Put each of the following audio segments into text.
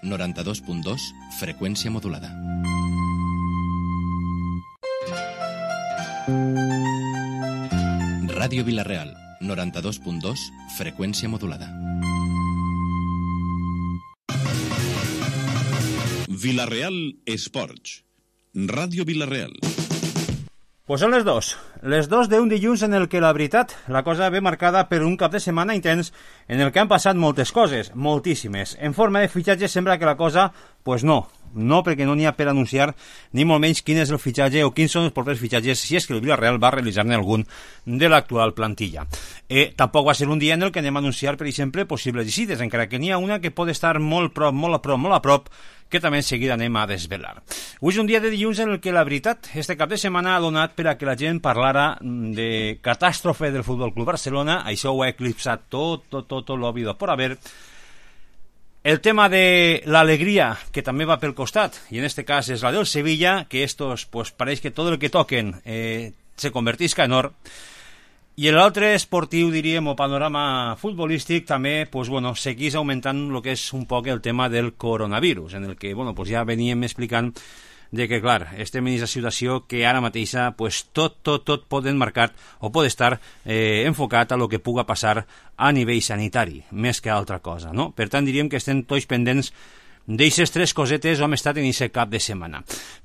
92.2, freqüència modulada. Ràdio Vila-real, 92.2, freqüència modulada. Vila-real Esports. Ràdio Vila-real. Pues són les dos d'un dilluns en el que la veritat, la cosa ve marcada per un cap de setmana intens en el que han passat moltes coses, moltíssimes. En forma de fitxatge sembla que la cosa, pues no, perquè no n'hi ha per anunciar ni molt menys quin és el fitxatge o quins són els propers fitxatges, si és que el Villarreal va realitzar-ne algun de l'actual plantilla. Tampoc va ser un dia en el que anem a anunciar, per exemple, possibles visites, encara que n'hi ha una que pot estar molt a prop, que també en seguida anem a desvelar. Avui és un dia de dilluns en el que la veritat, este cap de setmana ha donat per a que la gent parlara de catàstrofe del Futbol Club Barcelona. Això ho ha eclipsat tot l'òbvido por haver. El tema de l'alegria, que també va pel costat, i en este cas és la del Sevilla, que estos, pues pareix que tot el que toquen se convertisca en or. I l'altre esportiu, diríem, o panorama futbolístic, també, pues bueno, seguís augmentant el que és un poc el tema del coronavirus, en el que, bueno, pues ja veníem explicant de que, clar, estem en aquesta situació que ara mateixa, pues tot pot enmarcar o pot estar enfocat a lo que puga passar a nivell sanitari, més que altra cosa, no? Per tant, diríem que estem tots pendents d'eixes tres cosetes hem estat en aquest cap de setmana.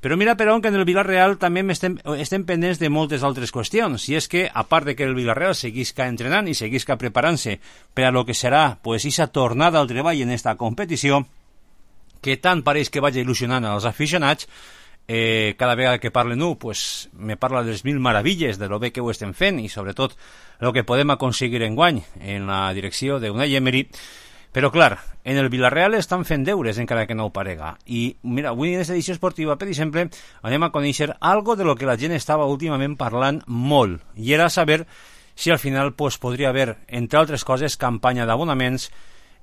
Però mira, però, que en el Villarreal també estem pendents de moltes altres qüestions, i és que, a part de que el Villarreal seguisca entrenant i seguisca preparant-se per a lo que serà, pues, aquesta tornada al treball en esta competició, que tant pareix que vagi il·lusionant als aficionats, cada vegada que parlen pues me parla de les mil meravilles de lo bé que ho estem fent i sobretot el que podem aconseguir enguany en la direcció d'Unai Emery. Però, clar, en el Villarreal estan fent deures, encara que no ho parega. I, mira, avui en aquesta edició esportiva, per exemple, anem a conèixer algo de lo que la gent estava últimament parlant molt, i era saber si al final pues, podria haver, entre altres coses, campanya d'abonaments,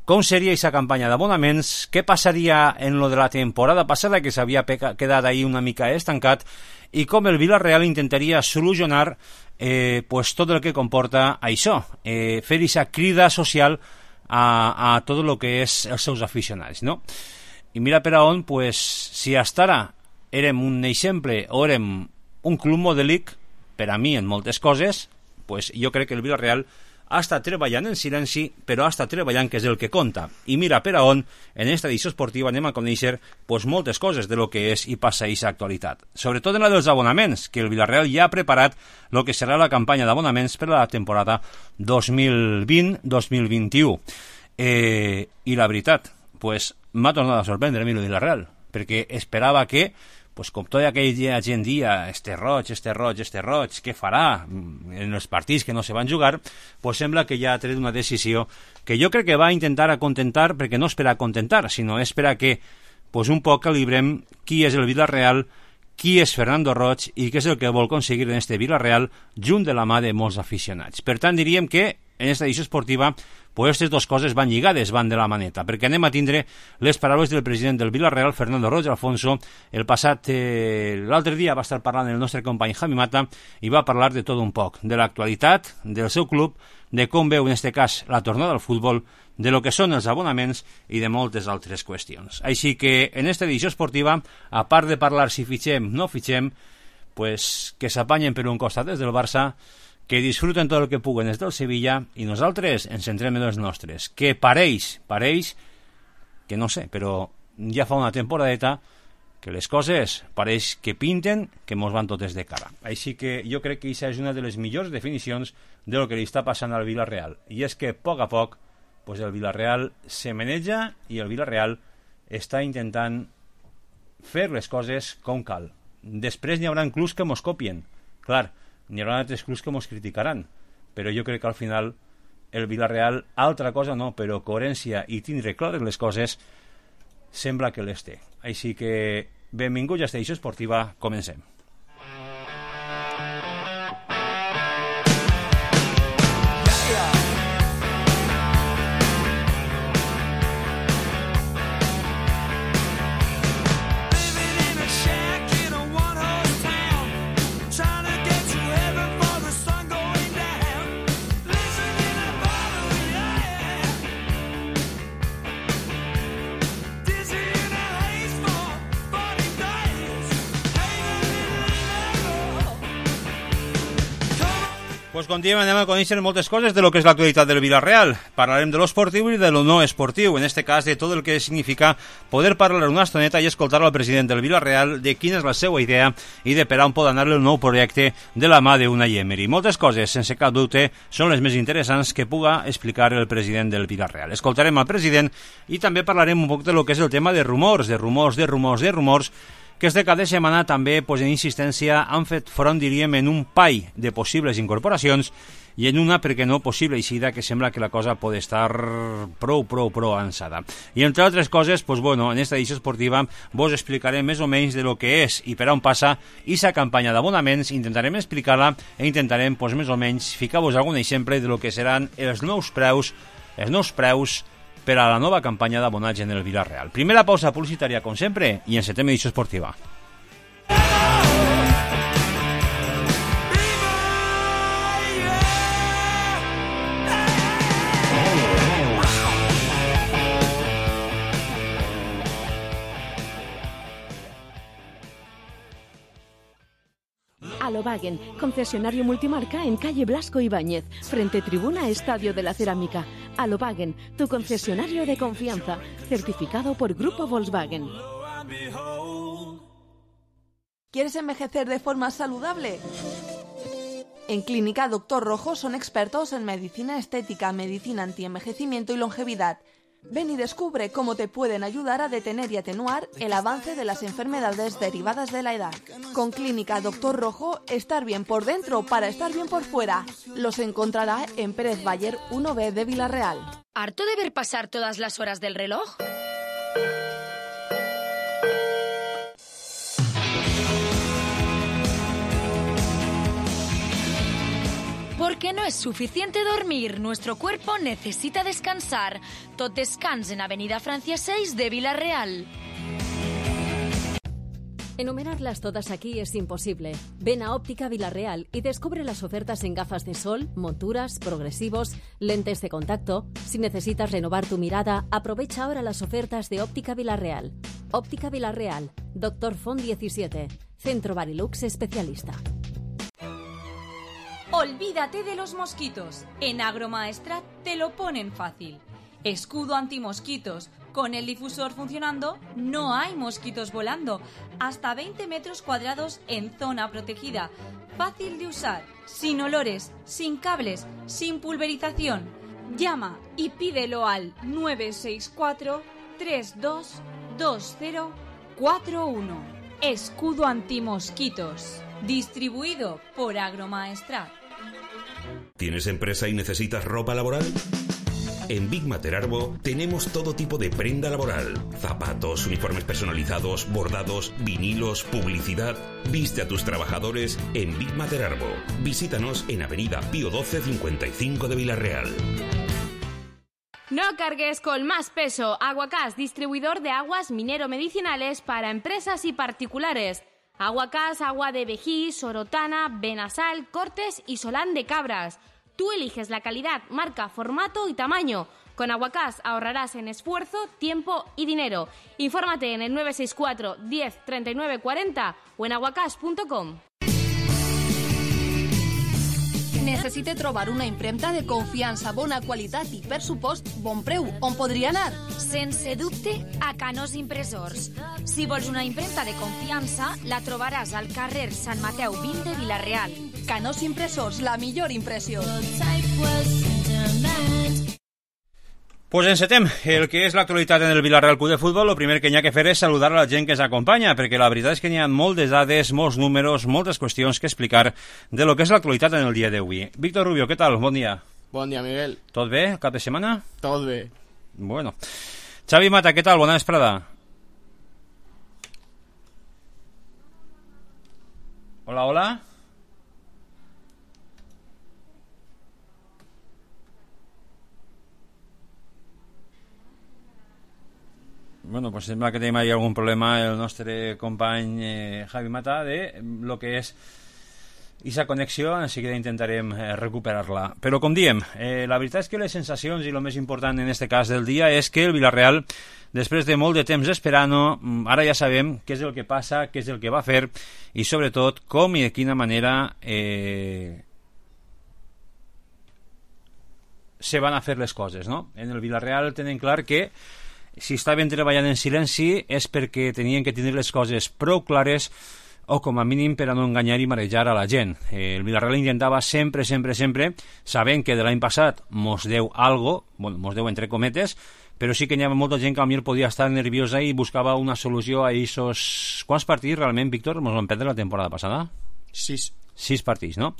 com seria aquesta campanya d'abonaments, què passaria en lo de la temporada passada, que s'havia quedat ahí una mica estancat, i com el Villarreal intentaria solucionar pues, tot el que comporta això, fer aquesta crida social a tot el que és els seus aficionats, no? I mira per on, pues, si hasta ara érem un exemple o érem un club modèlic, per a mi en moltes coses, pues jo crec que el Villarreal ha estat treballant en silenci, però ha estat treballant, que és el que compta. I mira per on, en aquesta edició esportiva anem a conèixer pues, moltes coses de lo que és i passa a aquesta actualitat. Sobretot en la dels abonaments, que el Villarreal ja ha preparat el que serà la campanya d'abonaments per a la temporada 2020-2021. I la veritat, pues, m'ha tornat a sorprendre a mi el Villarreal, perquè esperava que pues com tota aquella gent dia, este roig, què farà en els partits que no se van jugar, pues sembla que ja ha tret una decisió que jo crec que va intentar acontentar, perquè no és per acontentar, sinó és per a que pues un poc calibrem qui és el Villarreal, qui és Fernando Roig i què és el que vol aconseguir en este Villarreal junt de la mà de molts aficionats. Per tant, diríem que en aquesta edició esportiva pues aquestes dues coses van lligades, van de la maneta, perquè anem a tindre les paraules del president del Villarreal, Fernando Roig Alfonso. L'altre dia va estar parlant el nostre company Javi Mata i va parlar de tot un poc, de l'actualitat del seu club, de com veu en este cas la tornada al futbol, de lo que són els abonaments i de moltes altres qüestions. Així que en esta edició esportiva, a part de parlar si fitxem o no fitxem, pues que s'apanyen per un costat des del Barça, que disfruten tot el que puguen des del Sevilla i nosaltres ens centrem en els nostres, que pareix, que no sé, però ja fa una temporadeta que les coses pareix que pinten que mos van totes de cara. Així que jo crec que aquesta és una de les millors definicions de lo que li està passant al Villarreal, i és que a poc pues el Villarreal se maneja i el Villarreal està intentant fer les coses com cal. Després n'hi haurà clubs que mos copien, clar, n'hi haurà altres clubs que mos criticaran, però jo crec que al final el Villarreal, altra cosa no, però coherència i tindre clares les coses sembla que les té. Així que benvinguts a esta edició esportiva, comencem. Dizzy Pues com diem, anem a conèixer moltes coses de lo que és l'actualitat del Villarreal. Parlarem de lo esportiu i de lo no esportiu, en este cas de tot el que significa poder parlar una estoneta i escoltar al president del Villarreal de quina és la seva idea i de per on pot anar el nou projecte de la mà d'Unai Emery. Moltes coses, sense cap dubte, són les més interessants que puga explicar el president del Villarreal. Escoltarem al president i també parlarem un poc de lo que és el tema de rumors, que este cap de setmana també, en insistència, han fet front, diríem, en un pall de possibles incorporacions i en una, perquè no, possible eixida que sembla que la cosa pot estar prou avançada. I entre altres coses, en esta edició esportiva vos explicarem més o menys de lo que és i per on passa aquesta campanya d'abonaments, intentarem explicar-la i intentarem, més o menys, ficar-vos algun exemple de lo que seran els nous preus per a la nova campanya d'abonatge en el Villarreal. Primera pausa publicitària, com sempre, i encetem edició esportiva. Alobagen, concesionario multimarca en calle Blasco Ibáñez, frente tribuna Estadio de la Cerámica. Alobagen, tu concesionario de confianza, certificado por Grupo Volkswagen. ¿Quieres envejecer de forma saludable? En Clínica Dr. Rojo son expertos en medicina estética, medicina antienvejecimiento y longevidad. Ven y descubre cómo te pueden ayudar a detener y atenuar el avance de las enfermedades derivadas de la edad. Con Clínica Dr. Rojo, estar bien por dentro para estar bien por fuera. Los encontrará en Pérez Bayer 1B de Villarreal. ¿Harto de ver pasar todas las horas del reloj? Porque no es suficiente dormir, nuestro cuerpo necesita descansar. Tot descans en Avenida Francia 6 de Villarreal. Enumerarlas todas aquí es imposible. Ven a Óptica Villarreal y descubre las ofertas en gafas de sol, monturas, progresivos, lentes de contacto. Si necesitas renovar tu mirada, aprovecha ahora las ofertas de Óptica Villarreal. Óptica Villarreal, Dr. Font 17, Centro Barilux Especialista. Olvídate de los mosquitos. En Agromaestrat te lo ponen fácil. Escudo antimosquitos. Con el difusor funcionando, no hay mosquitos volando. Hasta 20 metros cuadrados en zona protegida. Fácil de usar, sin olores, sin cables, sin pulverización. Llama y pídelo al 964 322041. Escudo antimosquitos. Distribuido por Agromaestrat. ¿Tienes empresa y necesitas ropa laboral? En Big Mater Arbo tenemos todo tipo de prenda laboral. Zapatos, uniformes personalizados, bordados, vinilos, publicidad. Viste a tus trabajadores en Big Mater Arbo. Visítanos en Avenida Pío 12 55 de Villarreal. No cargues con más peso. Aguacás, distribuidor de aguas minero-medicinales para empresas y particulares. Aguacás, agua de Vejí, Sorotana, Benasal, Cortes y Solán de Cabras. Tú eliges la calidad, marca, formato y tamaño. Con Aguacás ahorrarás en esfuerzo, tiempo y dinero. Infórmate en el 964 10 39 40 o en aguacás.com. Necessite trobar una impremta de confiança, bona qualitat i, per supost, bon preu. On podria anar? Sense dubte, a Canós Impressors. Si vols una impremta de confiança, la trobaràs al carrer Sant Mateu 20 de Villarreal. Canós Impressors, la millor impressió. Pues encetem el que és l'actualitat en el Villarreal Club de Futbol. El primer que hi ha que fer és saludar a la gent que ens acompanya, perquè la veritat és que hi ha moltes dades, molts números, moltes qüestions que explicar de lo que és l'actualitat en el dia d'avui. Víctor Rubio, què tal? Bon dia. Bon dia, Miguel. Tot bé? Cap de setmana? Tot bé. Bueno. Xavi Mata, què tal? Bona vesprada. Hola, hola. Bueno, pues sembla que tenim ahí algun problema el nostre company Javi Mata de lo que és aquesta connexió, en seguida intentarem recuperar-la. Però com diem, la veritat és que les sensacions i el més important en este cas del dia és que el Villarreal, després de molt de temps esperant-ho, ara ja sabem què és el que passa, què és el que va fer i sobretot com i de quina manera se van a fer les coses, no? En el Villarreal tenen clar que si estaven treballant en silenci és perquè tenien que tenir les coses prou clares o com a mínim per a no enganyar i marejar a la gent. El Villarreal intentava sempre, sabent que de l'any passat mos deu algo, bueno, mos deu entre cometes, però sí que hi havia molta gent que potser podia estar nerviosa i buscava una solució a aquests... Quants partits realment, Víctor, mos van perdre la temporada passada? 6 partits, no?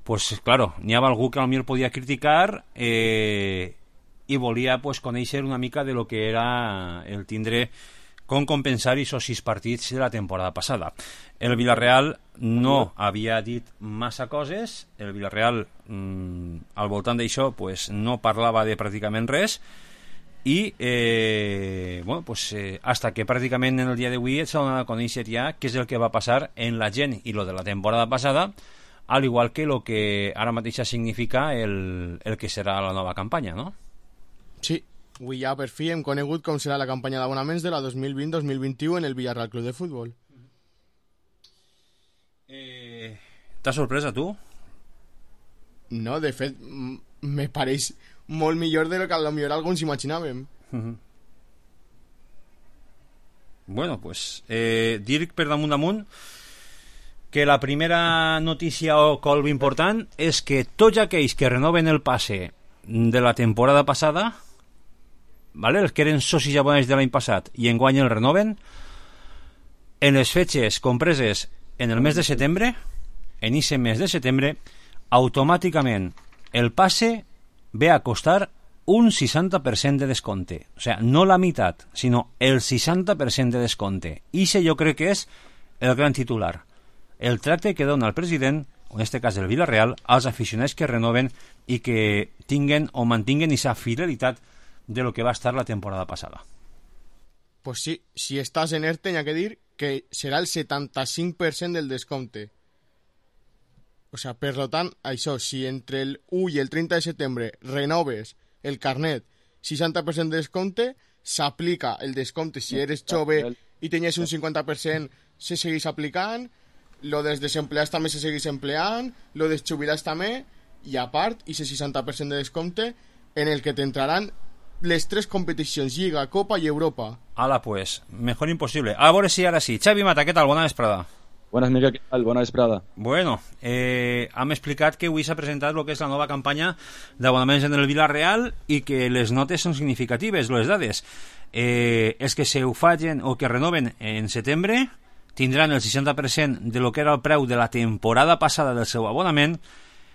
Pues claro, n'hi havia algú que potser podia criticar i volia pues, conèixer una mica de lo que era el tindre com compensar aquests 6 partits de la temporada passada. El Villarreal no havia dit massa coses, el Villarreal al voltant d'això pues, no parlava de pràcticament res i bueno, pues, hasta que pràcticament en el dia d'avui s'ha donat a conèixer ja què és el que va passar en la gent i lo de la temporada passada, al igual que lo que ara mateix significa el que serà la nova campanya, no? Sí, avui ja per fi hem conegut com serà la campanya d'abonaments de la 2020-2021 en el Villarreal Club de Futbol. T'ha sorprès a tu? No, de fet, me pareix molt millor de lo que potser alguns imaginàvem. Bueno, pues dir per damunt que la primera notícia o colp important és que tots aquells que renoven el passe de la temporada passada, ¿vale? Els que eren socis abonats de l'any passat i enguany el renoven, en les fetges compreses en el mes de setembre, en ese mes de setembre, automàticament el passe ve a costar un 60% de descompte. O sea, no la meitat, sinó el 60% de descompte. I jo crec que és el gran titular. El tracte que dona el president, en aquest cas el Villarreal, als aficionats que renoven i que tinguen o mantinguen aquesta fidelitat de lo que va estar la temporada passada. Pues sí, si estàs en ERTE, hi ha que dir que serà el 75% del descompte. O sea, per tant, això, si entre el 1 i el 30 de setembre renoves el carnet 60% de descompte, s'aplica el descompte si eres jove i tenies un 50%, se segueix aplicant, lo dels desempleats també se segueix empleant, lo dels jubilats també, i a part, i ese 60% de descompte en el que t'entraran les 3 competicions, Lliga, Copa i Europa. Ala, pues, mejor imposible. A veure si ara sí. Xavi Mata, què tal? Bona vesprada. Buenas, Miguel, ¿qué tal? Bona vesprada. Bueno, hem explicat que avui s'ha presentat el que és la nova campanya d'abonaments en el Villarreal i que les notes són significatives, les dades. Els que se ho facin o que renoven en setembre tindran el 60% de lo que era el preu de la temporada passada del seu abonament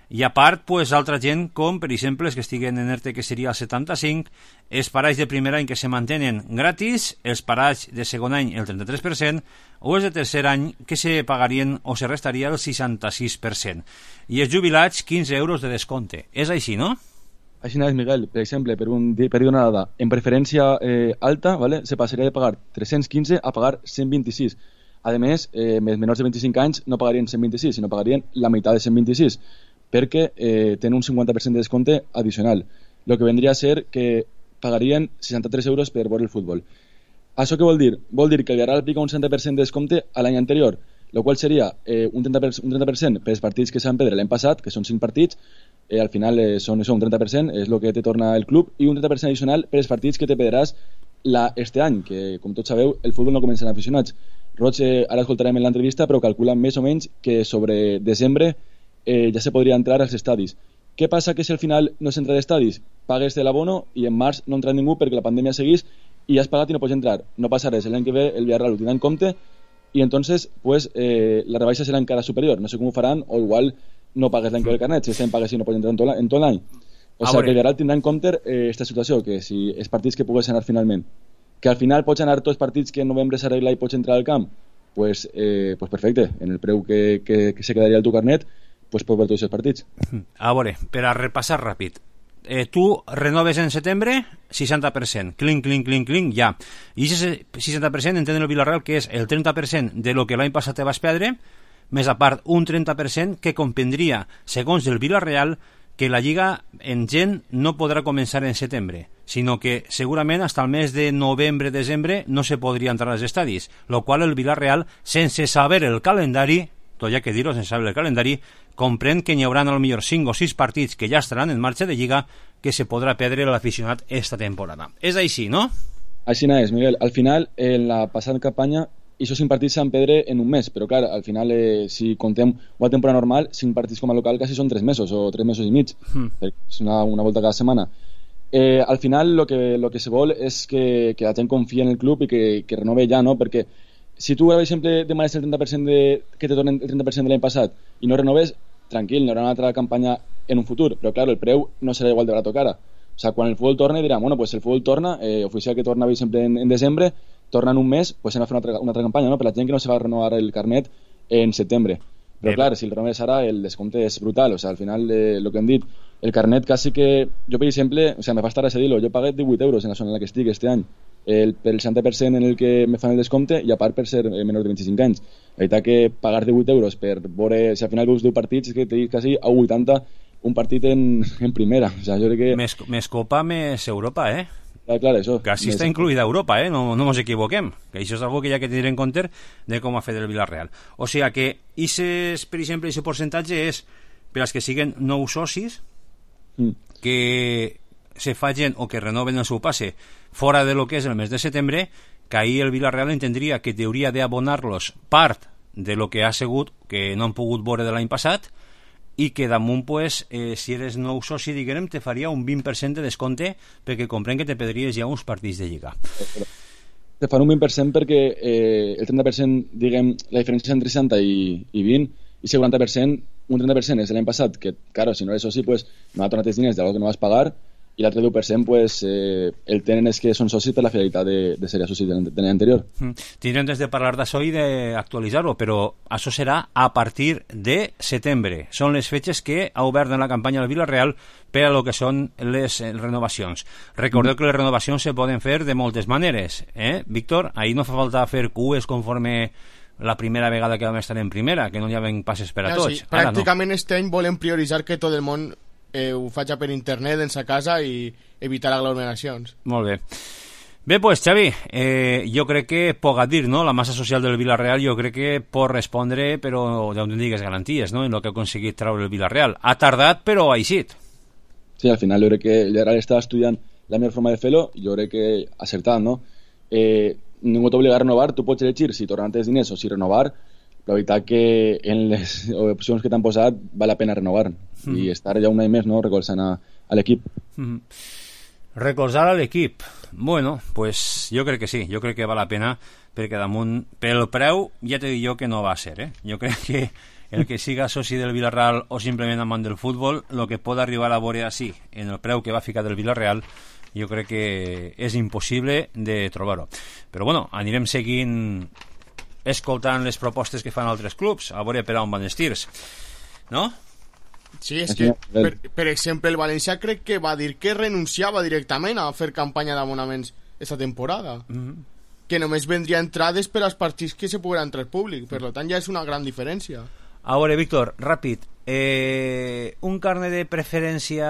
i a part, pues, altra gent com, per exemple, els que estiguen en ERTE, que seria el 75%, els parats de primer any que se mantenen gratis, els parats de segon any el 33%, o els de tercer any que se pagarien o se restaria el 66%. I els jubilats, 15 euros de descompte. És així, no? Així és, Miguel. Per exemple, per dir una dada, en preferència alta, ¿vale? Se passaria de pagar 315 a pagar 126. A més, menors de 25 anys no pagarien 126, sinó pagarien la meitat de 126, perquè tenen un 50% de descompte addicional, el que vendria a ser que pagarien 63 euros per veure el futbol. Això què vol dir? Vol dir que el Villarreal aplica un 60% de descompte a l'any anterior, el qual seria un 30% per als partits que s'han perdre l'any passat, que són 5 partits, al final són un 30%, és el que te torna el club, i un 30% addicional per als partits que te perdràs este any, que com tots sabeu el futbol no comença en aficionats. Roig, ara escoltarem en l'entrevista, però calculen més o menys que sobre desembre ja se podria entrar als estadis. Què passa que si al final no s'entra d'estadis? Pagues de l'abono i en març no entra ningú perquè la pandèmia seguís i has pagat i no pots entrar. No passa res, l'any que ve el Villarreal ho tindrà en compte i entonces pues, la rebaixa serà encara superior. No sé com ho faran, o igual no pagues l'any que ve el carnet, si estem pagues i no pots entrar en tot l'any. O sigui que el Villarreal tindrà en compte aquesta situació, que si els partits que pugues anar finalment, que al final pots anar tots els partits que en novembre s'arregla i pots entrar al camp, pues perfecte, en el preu que se quedaria el teu carnet, pues pots veure tots els partits. A veure, per a repassar ràpid, tu renoves en setembre 60%, clink, ja. I aquest 60% entén el Villarreal que és el 30% de lo que l'any passat te vas perdre, més a part un 30% que comprendria, segons el Villarreal, que la Lliga en gent no podrà començar en setembre, sinó que segurament fins al mes de novembre-desembre no se podria entrar als estadis, lo qual el Villarreal, sense saber el calendari, tot ja que dir-ho sense saber el calendari, comprèn que n'hi haurà al millor 5 o 6 partits que ja estaran en marxa de Lliga que se podrà perdre l'aficionat esta temporada. És així, no? Així és, Miguel. Al final, en la passada campanya, aquests 5 partits s'han perdre en un mes, però clar, al final, si contem una temporada normal, 5 partits com a local quasi són 3 mesos o 3 mesos i mig. És una volta cada setmana. Al final, lo que se vol és que la gent confia en el club i que renove ja, no? Perquè si tu, per exemple, demanes el 30% que te tornen el 30% de l'any passat i no renoves, tranquil, no hi haurà una altra campanya en un futur, però clar, el preu no serà igual de barat que ara. O sea, quan el futbol torna diran, bueno, pues el futbol torna, oficial que torna sempre en desembre, torna en un mes, pues hem de fer una altra campanya, no? Per la gent que no se va renovar el carnet en setembre. Però clar, si el renoves ara, el descompte és brutal. O sea, al final, el que hem dit, el carnet quasi que... Jo, per exemple, o sea, me fa estar a dir-ho, jo pagué 18 euros en la zona en la que estic este any, per el 60% en el que me fan el descompte i a part per ser menor de 25 anys. La veritat que pagar 18 euros per veure, si al final veus 10 partits, és que te dic quasi a 80 un partit en primera. O sea, jo crec que... Més Copa, més Europa, eh? Clar, això. Quasi està incluïda Europa, no ens equivoquem, que això és algo que hi ha que tenir en compte de com ha fet el Villarreal. O sigui que per exemple, aquest percentatge és per als que siguen nous socis que se facin o que renoven el seu passe fora de lo que és el mes de setembre, que ahir el Villarreal entendria que hauria d'abonar-los part de lo que ha sigut que no han pogut veure de l'any passat i que damunt, pues, si eres nou soci, diguem, te faria un 20% de descompte perquè comprenc que te perdries ja uns partits de Lliga. Te fan un 20% perquè el 30%, diguem, la diferència entre 60 i 20, i el 40%, un 30% és de l'any passat, que, claro, si no eres soci, pues, no ha tornat els diners d'algo que no vas pagar, i l'altre 10%, pues, el tenen és que són socis per la fidelitat de ser socis de l'any anterior. Tindrem des de parlar d'això i d'actualitzar-ho, però això serà a partir de setembre. Són les fetges que ha obert en la campanya del Villarreal per a lo que són les renovacions. Recordeu que les renovacions se poden fer de moltes maneres, Víctor? Ahir no fa falta fer cues conforme la primera vegada que vam estar en primera, que no hi havia passes per a tots. Sí, pràcticament este any volem prioritzar que tot el món ho faig per internet en sa casa i evitar aglomeracions. Molt bé. Bé, pues, Xavi, jo crec que poc a dir, no? La massa social del Villarreal jo crec que pot respondre, però d'on digues garanties, no? En el que ha aconseguit treure el Villarreal. Ha tardat, però ha eixit. Sí, al final jo crec que el Villarreal està estudiant la millor forma de fer-lo, jo crec que acertant, no? Ningú t'obliga a renovar, tu pots elegir si tornar els diners o si renovar. La veritat que en les opcions que t'han posat val la pena renovar i estar ja un any més, no?, recolzant a l'equip. Recolzar a l'equip, bueno, pues jo crec que sí, jo crec que val la pena perquè damunt, pel preu ja t'he dit jo que no va ser, jo crec que el que siga soci del Villarreal o simplement amant del futbol, el que pot arribar a veure així en el preu que va ficar del Villarreal, jo crec que és impossible de trobar-ho. Però bueno, anirem seguint escoltant les propostes que fan altres clubs, a veure per on van els tirs, no? Sí, és que, per exemple, el València crec que va dir que renunciava directament a fer campanya d'abonaments aquesta temporada, que només vendria entrades per als partits que se poguera entrar al públic, per tant ja és una gran diferència. A veure, Víctor, ràpid, un carnet de preferència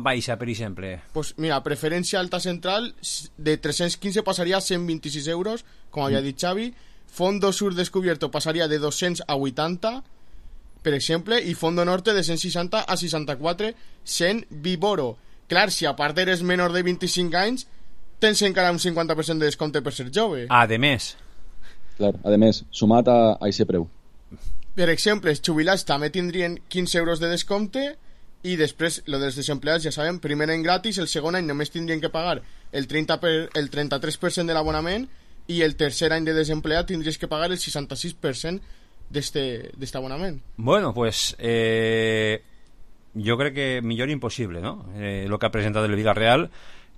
baixa, per exemple? Pues mira, preferència alta central de 315 passaria a 126 euros, com havia dit Xavi. Fondo sur descubierto passaria de 200 a 80, per exemple, i fondo norte de 160 a 64, sent Vivoro. Clar, si a part eres menor de 25 anys, tens encara un 50% de descompte per ser jove. A més. Clar, a més, sumat a aquest preu. Per exemple, els jubilats també tindrien 15 euros de descompte i després, lo dels desempleats, ja sabem, primer any gratis, el segon any només tindrien que pagar el 33% de l'abonament i el tercer any de desempleat tindries que pagar el 66% d'este abonament. Bueno, pues jo crec que millor impossible, no? Lo que ha presentat el Villarreal.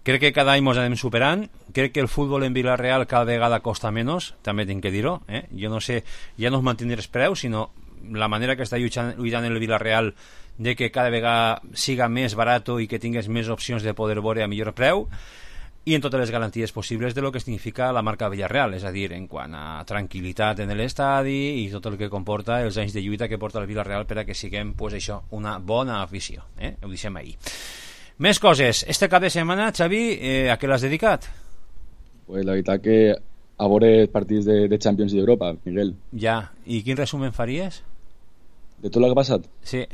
Crec que cada any ens anem superant. Crec que el futbol en Villarreal cada vegada costa menys, també tinc que dir-ho. Jo no sé, ja no es mantindre els preus, sinó la manera que està lluitant el Villarreal de que cada vegada siga més barat i que tingues més opcions de poder veure a millor preu, i en totes les garanties possibles de lo que significa la marca Villarreal, és a dir, en quant a tranquil·litat en l'estadi i tot el que comporta els anys de lluita que porta el Villarreal per a que siguem, pues això, una bona afició. Ho deixem ahir. Més coses. Este cap de setmana, Xavi, a què l'has dedicat? Pues la veritat que a veure partits de Champions i d'Europa, Miguel. Ja, i quin resumen faries? De tot el que ha passat? Sí.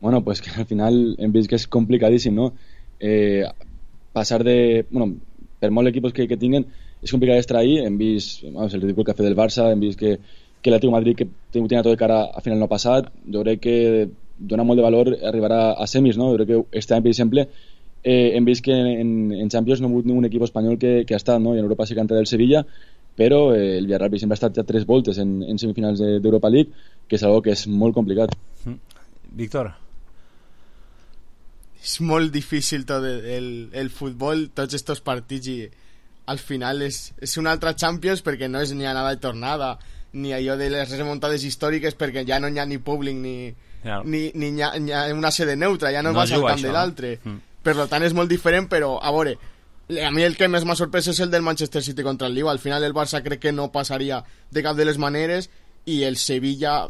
Bueno, pues que al final hem vist que és complicadíssim, no? Passar de... Bueno, per molts equipos que tinguen, és complicat estar ahí. Hem vist el ridícul que ha fet el Barça, hem vist que l'Atlético de Madrid, que tenia tot de cara a final no passat, jo crec que dona molt de valor arribar a semis, no? Jo crec que este any, per exemple, hem vist que en Champions no ha hagut ningún equip espanyol que ha estat, no? I en Europa sí que ha entrat el Sevilla, però el Villarreal, per exemple, ha estat ja 3 voltes en semifinals d'Europa League, que és algo que és molt complicat. Víctor? És molt difícil tot el futbol, tots estos partits, i al final és una altra Champions, perquè no és ni anada i tornada, ni allò de les remuntades històriques, perquè ja no hi ha ni públic ni hi ha una sede neutra, ja no vas al camp de l'altre. Per tant és molt diferent, però a veure, a mi el que més m'ha sorprès és el del Manchester City contra el Liga. Al final el Barça crec que no passaria de cap de les maneres, i el Sevilla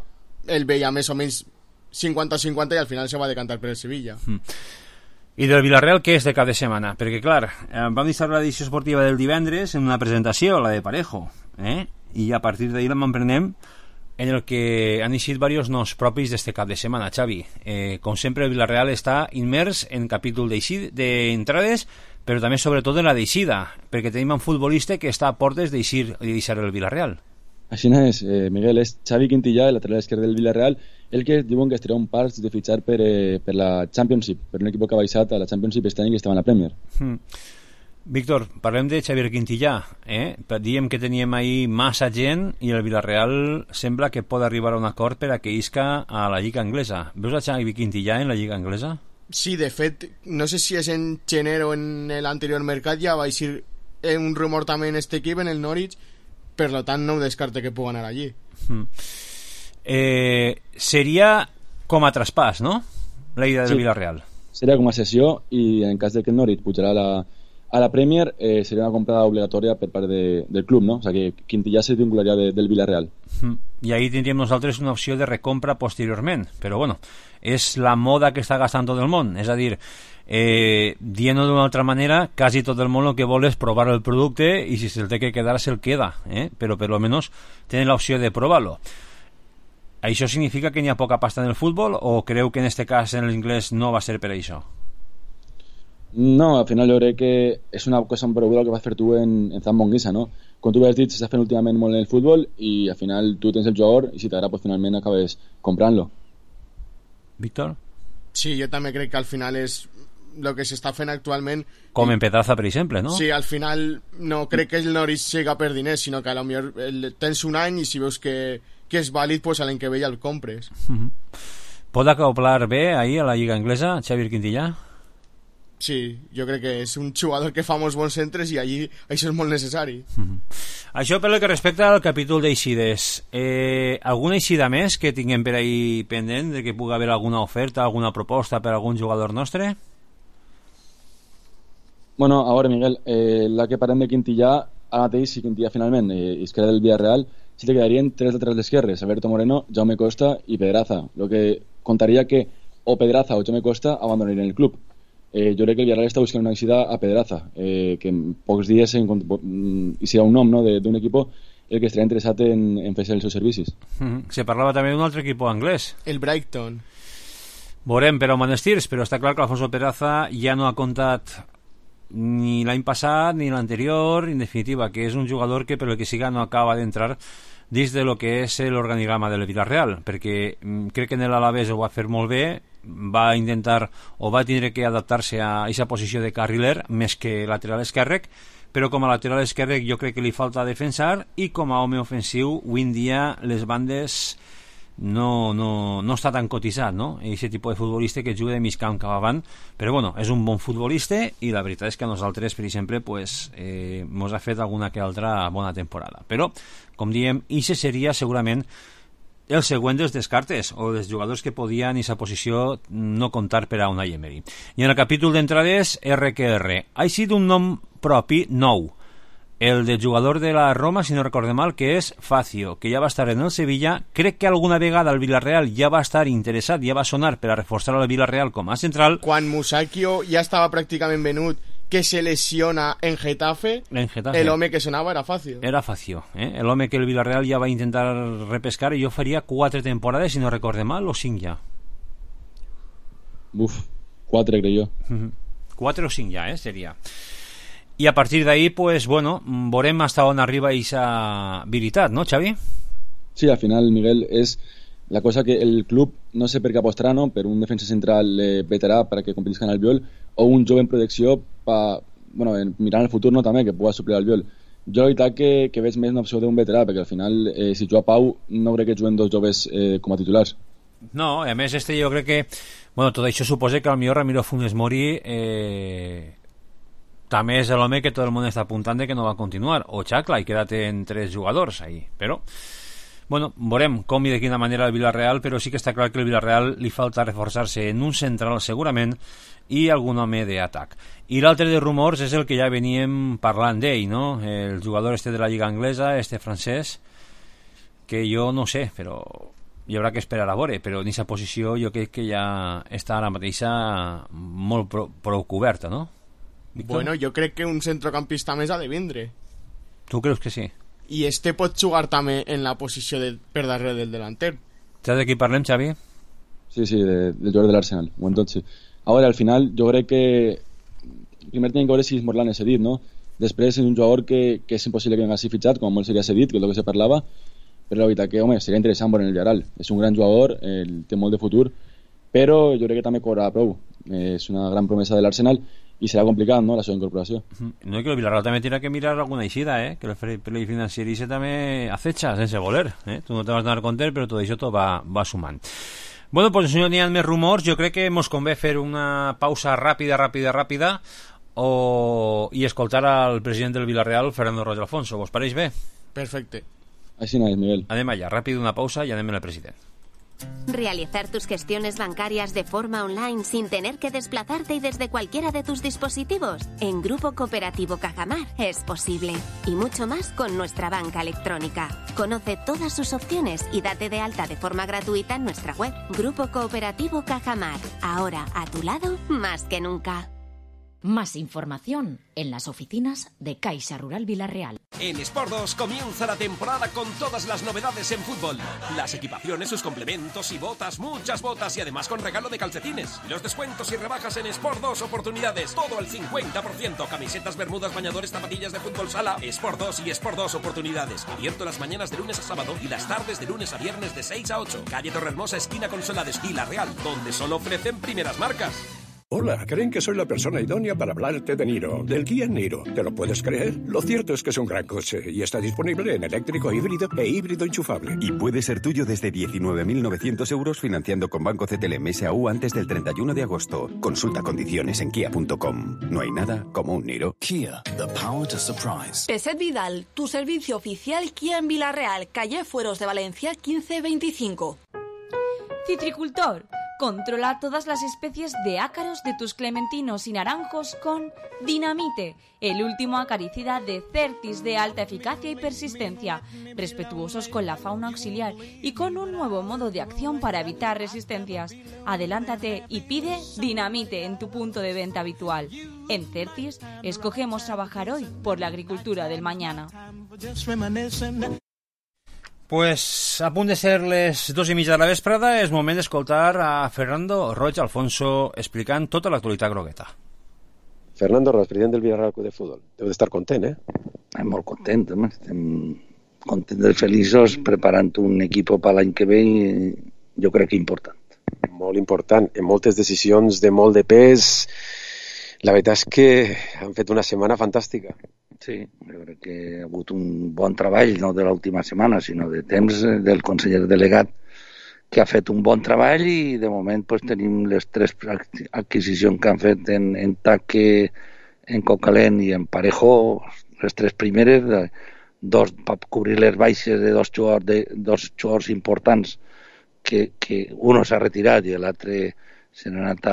el veia més o menys 50-50 i al final se va decantar per el Sevilla. I del Villarreal, què és de cap de setmana? Perquè, clar, vam estar l'edició esportiva del divendres en una presentació, la de Parejo, i a partir d'ahir la m'emprenem en el que han eixit diversos noms propis d'este cap de setmana, Xavi. Com sempre, el Villarreal està immers en capítol d'entrades, però també, sobretot, en la d'eixida, perquè tenim un futbolista que està a portes d'eixir i deixar el Villarreal. Així no és, Miguel, és Xavi Quintillà, el lateral esquerre del Villarreal, el que diuen que estarà un parts de fitxar per la Championship, per un equip que ha baixat a la Championship este any que estava en la Premier. Víctor, parlem de Xavier Quintillà, diem que teníem ahir massa gent i el Villarreal sembla que pot arribar a un acord per a que isca a la Lliga Anglesa. Veus a Xavi Quintillà en la Lliga Anglesa? Sí, de fet, no sé si és en gener o en l'anterior mercat, ja va eixir un rumor també en este equip, en el Norwich, per tant no ho descarte que pugui anar allí. Seria com a traspàs, no? La idea del Villarreal. Seria com a cessió, i en cas de que el Norwich pujarà a la Premier, seria una comprada obligatòria per part del club, no? O sigui que Quintillà se vincularia del Villarreal. I ahí tindríem nosaltres una opció de recompra posteriorment, però bueno, és la moda que està gastant tot el món, és a dir, dient-ho d'una altra manera, quasi tot el món el que vol és provar el producte i si se'l té que quedar se'l queda, però per lo menos tenen l'opció de provar-lo. Això significa que n'hi ha poca pasta en el futbol o creu que en este cas en l'inglès no va ser per això? No, al final jo crec que és una cosa empreguda el que vas fer tu en Zambonguisa, no? Com tu has dit, s'està fent últimament molt en el futbol i al final tu tens el jugador i si t'agrada pues finalment acabes comprant-lo. Víctor? Sí, jo també crec que al final és el que s'està fent actualment. Com en Pedraza, per exemple, no? Sí, al final no crec que el Norwich siga per diners, sinó que potser tens un any i si veus que és vàlid, pues a l'any que ve ja el compres. Pot acoplar bé ahir a la Lliga Anglesa, Xavier Quintillà? Sí, jo crec que és un jugador que fa molts bons centres i allí això és molt necessari. Això pel que respecta al capítol d'eixides. Alguna eixida més que tinguem per ahí pendent, de que pugui haver alguna oferta, alguna proposta per algun jugador nostre? Bueno, a veure, Miguel, la que parlem de Quintillà, ara mateix, si Quintillà finalment es queda del Villarreal, sí que quedarien 3 laterals d'esquerres, Alberto Moreno, Jaume Costa i Pedraza, lo que contaria que o Pedraza o Jaume Costa abandonarien el club. Jo crec que el Villarreal està buscant una eixida a Pedraza, que en pocs dies hi serà un nom, no, d'un equip el que estarà interessat en fer els seus servicis. Se parlava també d'un altre equip anglès, el Brighton. Veurem per on van els tirs, però està clar que Alfonso Pedraza ja no ha comptat ni l'any passat ni l'anterior, en definitiva, que és un jugador que per el que siga no acaba d'entrar dins de lo que és l'organigrama del Villarreal, perquè crec que en l'Alavés ho va fer molt bé, va intentar o va tindre que adaptar-se a aquesta posició de carriler més que lateral esquerrec, però com a lateral esquerrec jo crec que li falta defensar i com a home ofensiu avui en dia les bandes no està tan cotitzat, no? Aquest tipus de futbolista que juga de mig camp cap avant, però bueno, és un bon futbolista i la veritat és que a nosaltres, per exemple, pues, mos ha fet alguna que altra bona temporada, però com diem, ixe seria segurament el següent dels descartes o dels jugadors que podien en aquesta posició no comptar per a Unai Emery. I en el capítol d'entrades, RQR ha sigut un nom propi nou, el de jugador de la Roma, si no recorde mal, que és Facio, que ja va estar en el Sevilla. Crec que alguna vegada el Villarreal ja va estar interessat, ja va sonar per a reforçar el Villarreal com a central. Quan Musacchio ja estava pràcticament venut, que se lesiona en Getafe, el home que sonava era Facio. Era Facio, el home que el Villarreal ja va intentar repescar, i jo faria 4 temporades, si no recorde mal, o 5 ja. 4 crec jo. 4 o 5 ja, seria. I a partir d'ahí, pues, bueno, veurem hasta on arriba aquesta habilitat, no, Xavi? Sí, al final, Miguel, és la cosa que el club no sé per què apostarà, no? Per un defensa central veterà perquè competisca en el Albiol, o un jove en protecció mirant el futur, no, també, que pugui suplir el Albiol. Jo la veritat que veig més una opció d'un veterà, perquè al final, si juga Pau, no crec que juguen 2 joves com a titulars. No, a més jo crec que tot això suposa que potser Ramiro Funes Mori també és l'home que tot el món està apuntant de que no va continuar, o Xacla, i quedat en 3 jugadors ahí, però veurem com i de quina manera el Villarreal, però sí que està clar que el Villarreal li falta reforçar-se en un central segurament i algun home d'atac. I l'altre de rumors és el que ja veníem parlant d'ell, no? El jugador de la Lliga Anglesa, francès, que jo no sé, però hi haurà que esperar a veure, però en aquesta posició jo crec que ja està ara mateixa molt prou coberta, no? Víctor? Bueno, jo crec que un centrocampista més ha de vindre. Tu creus que sí? I pot jugar també en la posició per darrere del delanter. Saps de qui parlem, Xavi? Sí, del jugador de l'Arsenal. Sí. Ara, al final, jo crec que primer tenim que veure si Morlan és cedit, no? Després és un jugador que és impossible que vingui fitxat, com molt seria cedit, que és el que se parlava, però la veritat que, seria interessant veure en el Villarreal. És un gran jugador, té molt de futur, però jo crec que també cobrarà prou. És una gran promesa de l'Arsenal i serà complicat, no?, la seva incorporació. No, que el Villarreal també tindrà que mirar alguna eixida, que el fair play financier també acecha sense voler, tu no te vas donar compte, però tot això va sumant. Bueno, pues si no n'hi ha més rumors, jo crec que ens convé fer una pausa ràpida i escoltar al president del Villarreal, Fernando Roig Alfonso. Vos pareix bé? Perfecte. Així no és, Miguel. Anem allà, ràpid una pausa i anem al president. Realizar tus gestiones bancarias de forma online sin tener que desplazarte y desde cualquiera de tus dispositivos. En Grupo Cooperativo Cajamar es posible. Y mucho más con nuestra banca electrónica. Conoce todas sus opciones y date de alta de forma gratuita en nuestra web. Grupo Cooperativo Cajamar. Ahora a tu lado más que nunca. Más información en las oficinas de Caixa Rural Villarreal. En Sport 2 comienza la temporada con todas las novedades en fútbol. Las equipaciones, sus complementos y botas, muchas botas y además con regalo de calcetines. Los descuentos y rebajas en Sport 2 oportunidades, todo al 50%. Camisetas, bermudas, bañadores, zapatillas de fútbol sala. Sport 2 y Sport 2 oportunidades. Abierto las mañanas de lunes a sábado y las tardes de lunes a viernes de 6 a 8. Calle Torrehermosa, esquina Consolades, Villarreal, donde solo ofrecen primeras marcas. Hola, creen que soy la persona idónea para hablarte de Niro, del Kia Niro. ¿Te lo puedes creer? Lo cierto es que es un gran coche y está disponible en eléctrico, híbrido e híbrido enchufable. Y puede ser tuyo desde 19.900 euros financiando con Banco CTLM S.A.U. antes del 31 de agosto. Consulta condiciones en kia.com. No hay nada como un Niro. Kia, the power to surprise. Peset Vidal, tu servicio oficial Kia en Villarreal, calle Fueros de Valencia 1525. Citricultor. Controla todas las especies de ácaros de tus clementinos y naranjos con Dinamite, el último acaricida de Certis de alta eficacia y persistencia, respetuosos con la fauna auxiliar y con un nuevo modo de acción para evitar resistencias. Adelántate y pide Dinamite en tu punto de venta habitual. En Certis, escogemos trabajar hoy por la agricultura del mañana. Pues a punt de ser les 2:30 de la vesprada, és moment d'escoltar a Fernando Roig Alfonso explicant tota l'actualitat grogueta. Fernando Roig, president del Villarreal Club de Futbol. Deu d'estar content, Molt content, home. Estem contents i feliços preparant un equip per l'any que ve i jo crec que important. Molt important. En moltes decisions de molt de pes. La veritat és que han fet una setmana fantàstica. Sí, jo crec que ha hagut un bon treball, no de l'última setmana, sinó de temps del conseller delegat que ha fet un bon treball i de moment pues, tenim les 3 adquisicions que han fet en Taque, en Cocalent i en Parejo, les 3 primeres, dos per cobrir les baixes de dos jugadors importants que uno s'ha retirat i l'altre se n'ha anat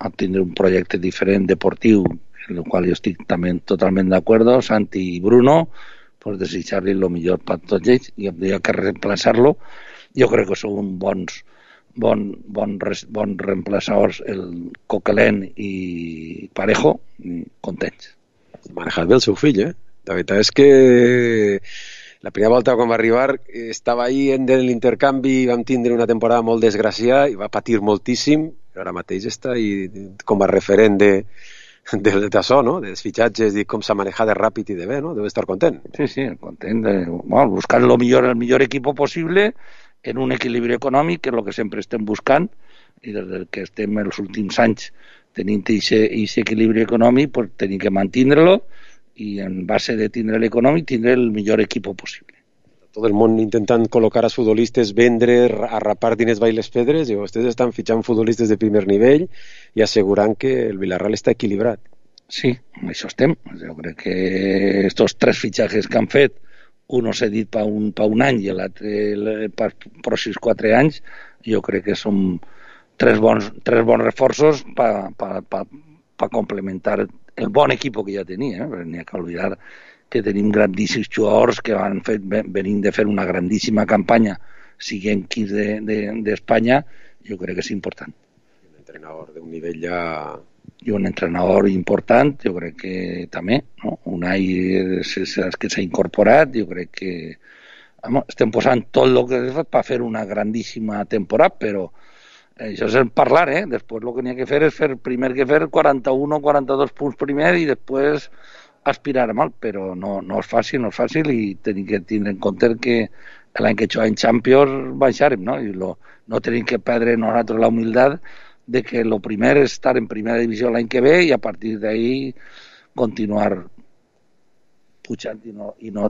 a tindre un projecte diferent, deportiu, en el qual jo estic també totalment d'acord, Santi i Bruno, pues desitjar-li el millor per tots ells i havia que reemplaçar-lo. Jo crec que són bons bons reemplaçadors, el Coquelin i Parejo, contents. Manejat bé el seu fill, eh? La veritat és que la primera volta quan va arribar estava ahí en l'intercanvi, vam tindre una temporada molt desgraciada i va patir moltíssim, però ara mateix està com a referent d'això, no? Dels fitxatges i com s'ha manejat de ràpid i de bé, no? Deu estar content. Sí, content. Buscar el millor equipo possible en un equilibri econòmic, que és el que sempre estem buscant, i des que estem els últims anys tenint aquest equilibri econòmic, pues tenim que mantindre-lo i en base de tindre l'econòmic, tindre el millor equip possible. Tot el món intentant col·locar els futbolistes, vendre, arrapar diners baix les pedres, i vostès estan fitxant futbolistes de primer nivell i assegurant que el Villarreal està equilibrat. Sí, amb això estem. Jo crec que estos 3 fitxatges que han fet, uno cedit per un any i l'altre per pròxims 4 anys, jo crec que són 3 bons reforços per complementar el bon equip que ja tenia. N'hi ha que oblidar que tenim grandíssims jugadors que venim de fer una grandíssima campanya, siguent equips d'Espanya, jo crec que és important. Un entrenador d'un nivell ja... I un entrenador important, jo crec que també, no? Unai que s'ha incorporat, jo crec que estem posant tot el que és per fer una grandíssima temporada, però això és parlar, Després el que n'hi ha que fer és primer que fer 41 o 42 punts primer i després aspirar a mal, però no és fàcil i tenim que tindre en compte que l'any que juguem Champions baixarem, no? I no tenim que perdre nosaltres la humilitat de que el primer és estar en primera divisió l'any que ve i a partir d'ahí continuar pujant i no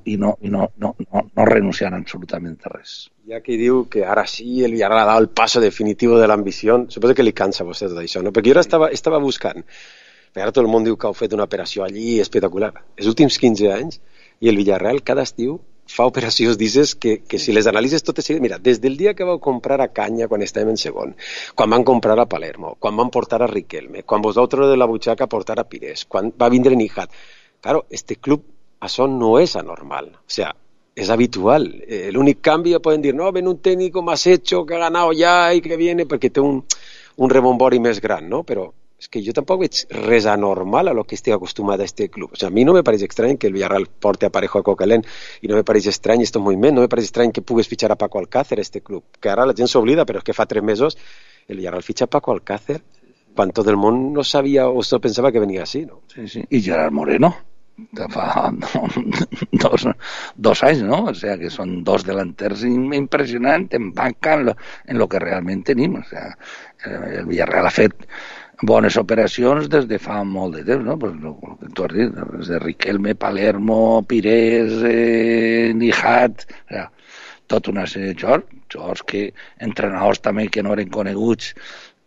renunciar absolutament a res. Hi ha qui diu que ara sí el Villarreal ha dado el paso definitivo de l'ambició. Suposo que li cansa a vostè tot això, no? Perquè jo ara estava buscant, perquè ara tot el món diu que heu fet una operació allí espectacular. Els últims 15 anys, i el Villarreal cada estiu fa operacions d'aquestes que si les analitzes totes seguides, mira, des del dia que vau comprar a Canya quan estàvem en segon, quan van comprar a Palermo, quan van portar a Riquelme, quan vos vau treure de la butxaca a portar a Pires, quan va vindre Nijat. Claro, este club, això no és anormal, o sea, es habitual. El únic canvi poden dir, no, ven un técnico más hecho, que ha ganado ya y que viene, perquè té un rebombori més gran, no? Però és que jo tampoc veig res anormal a lo que estic acostumat a este club. O sea, a mi no me pareix estrany que el Villarreal porte a Parejo a Coquelin i no me pareix estrany este moviment, no me pareix estrany que pugues fitxar a Paco Alcácer a este club, que ara la gent s'oblida, però és que fa 3 mesos el Villarreal fitxa a Paco Alcácer quan tot el món no sabia o no pensava que venia així, no? Sí. I Gerard Moreno, fa 2 anys, no? O sea, que són 2 delanters impressionants en banca en lo que realment tenim. O sea, el Villarreal ha fet bones operacions des de fa molt de temps, no? Pues el que tu has dit, des de Riquelme, Palermo, Pires, Nijat, o sea, tota una sèrie de jugadors que entrenadors també que no eren coneguts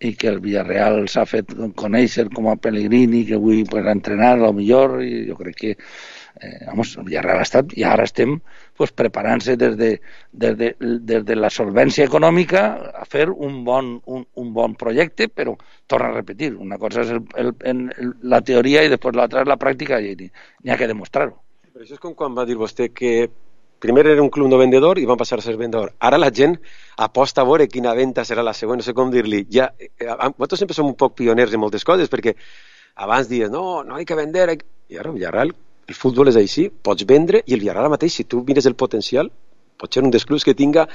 i que el Villarreal s'ha fet conèixer com a Pellegrini, que avui pues, ha entrenat a lo millor, i jo crec que el Villarreal ha estat, i ara estem pues, preparant-se des de la solvència econòmica a fer un bon projecte, però torna a repetir, una cosa és la teoria i després l'altra és la pràctica i n'hi ha que demostrar-ho. Però això és com quan va dir vostè que primer era un club no vendedor i van passar a ser vendedor. Ara la gent aposta a veure quina venda serà la següent, no sé com dir-li. Nosaltres sempre som un poc pioners en moltes coses, perquè abans dies, no hi que vender. I ara el Villarreal, el futbol és així, pots vendre, i el Villarreal mateix, si tu mires el potencial, pot ser un dels clubs que tinga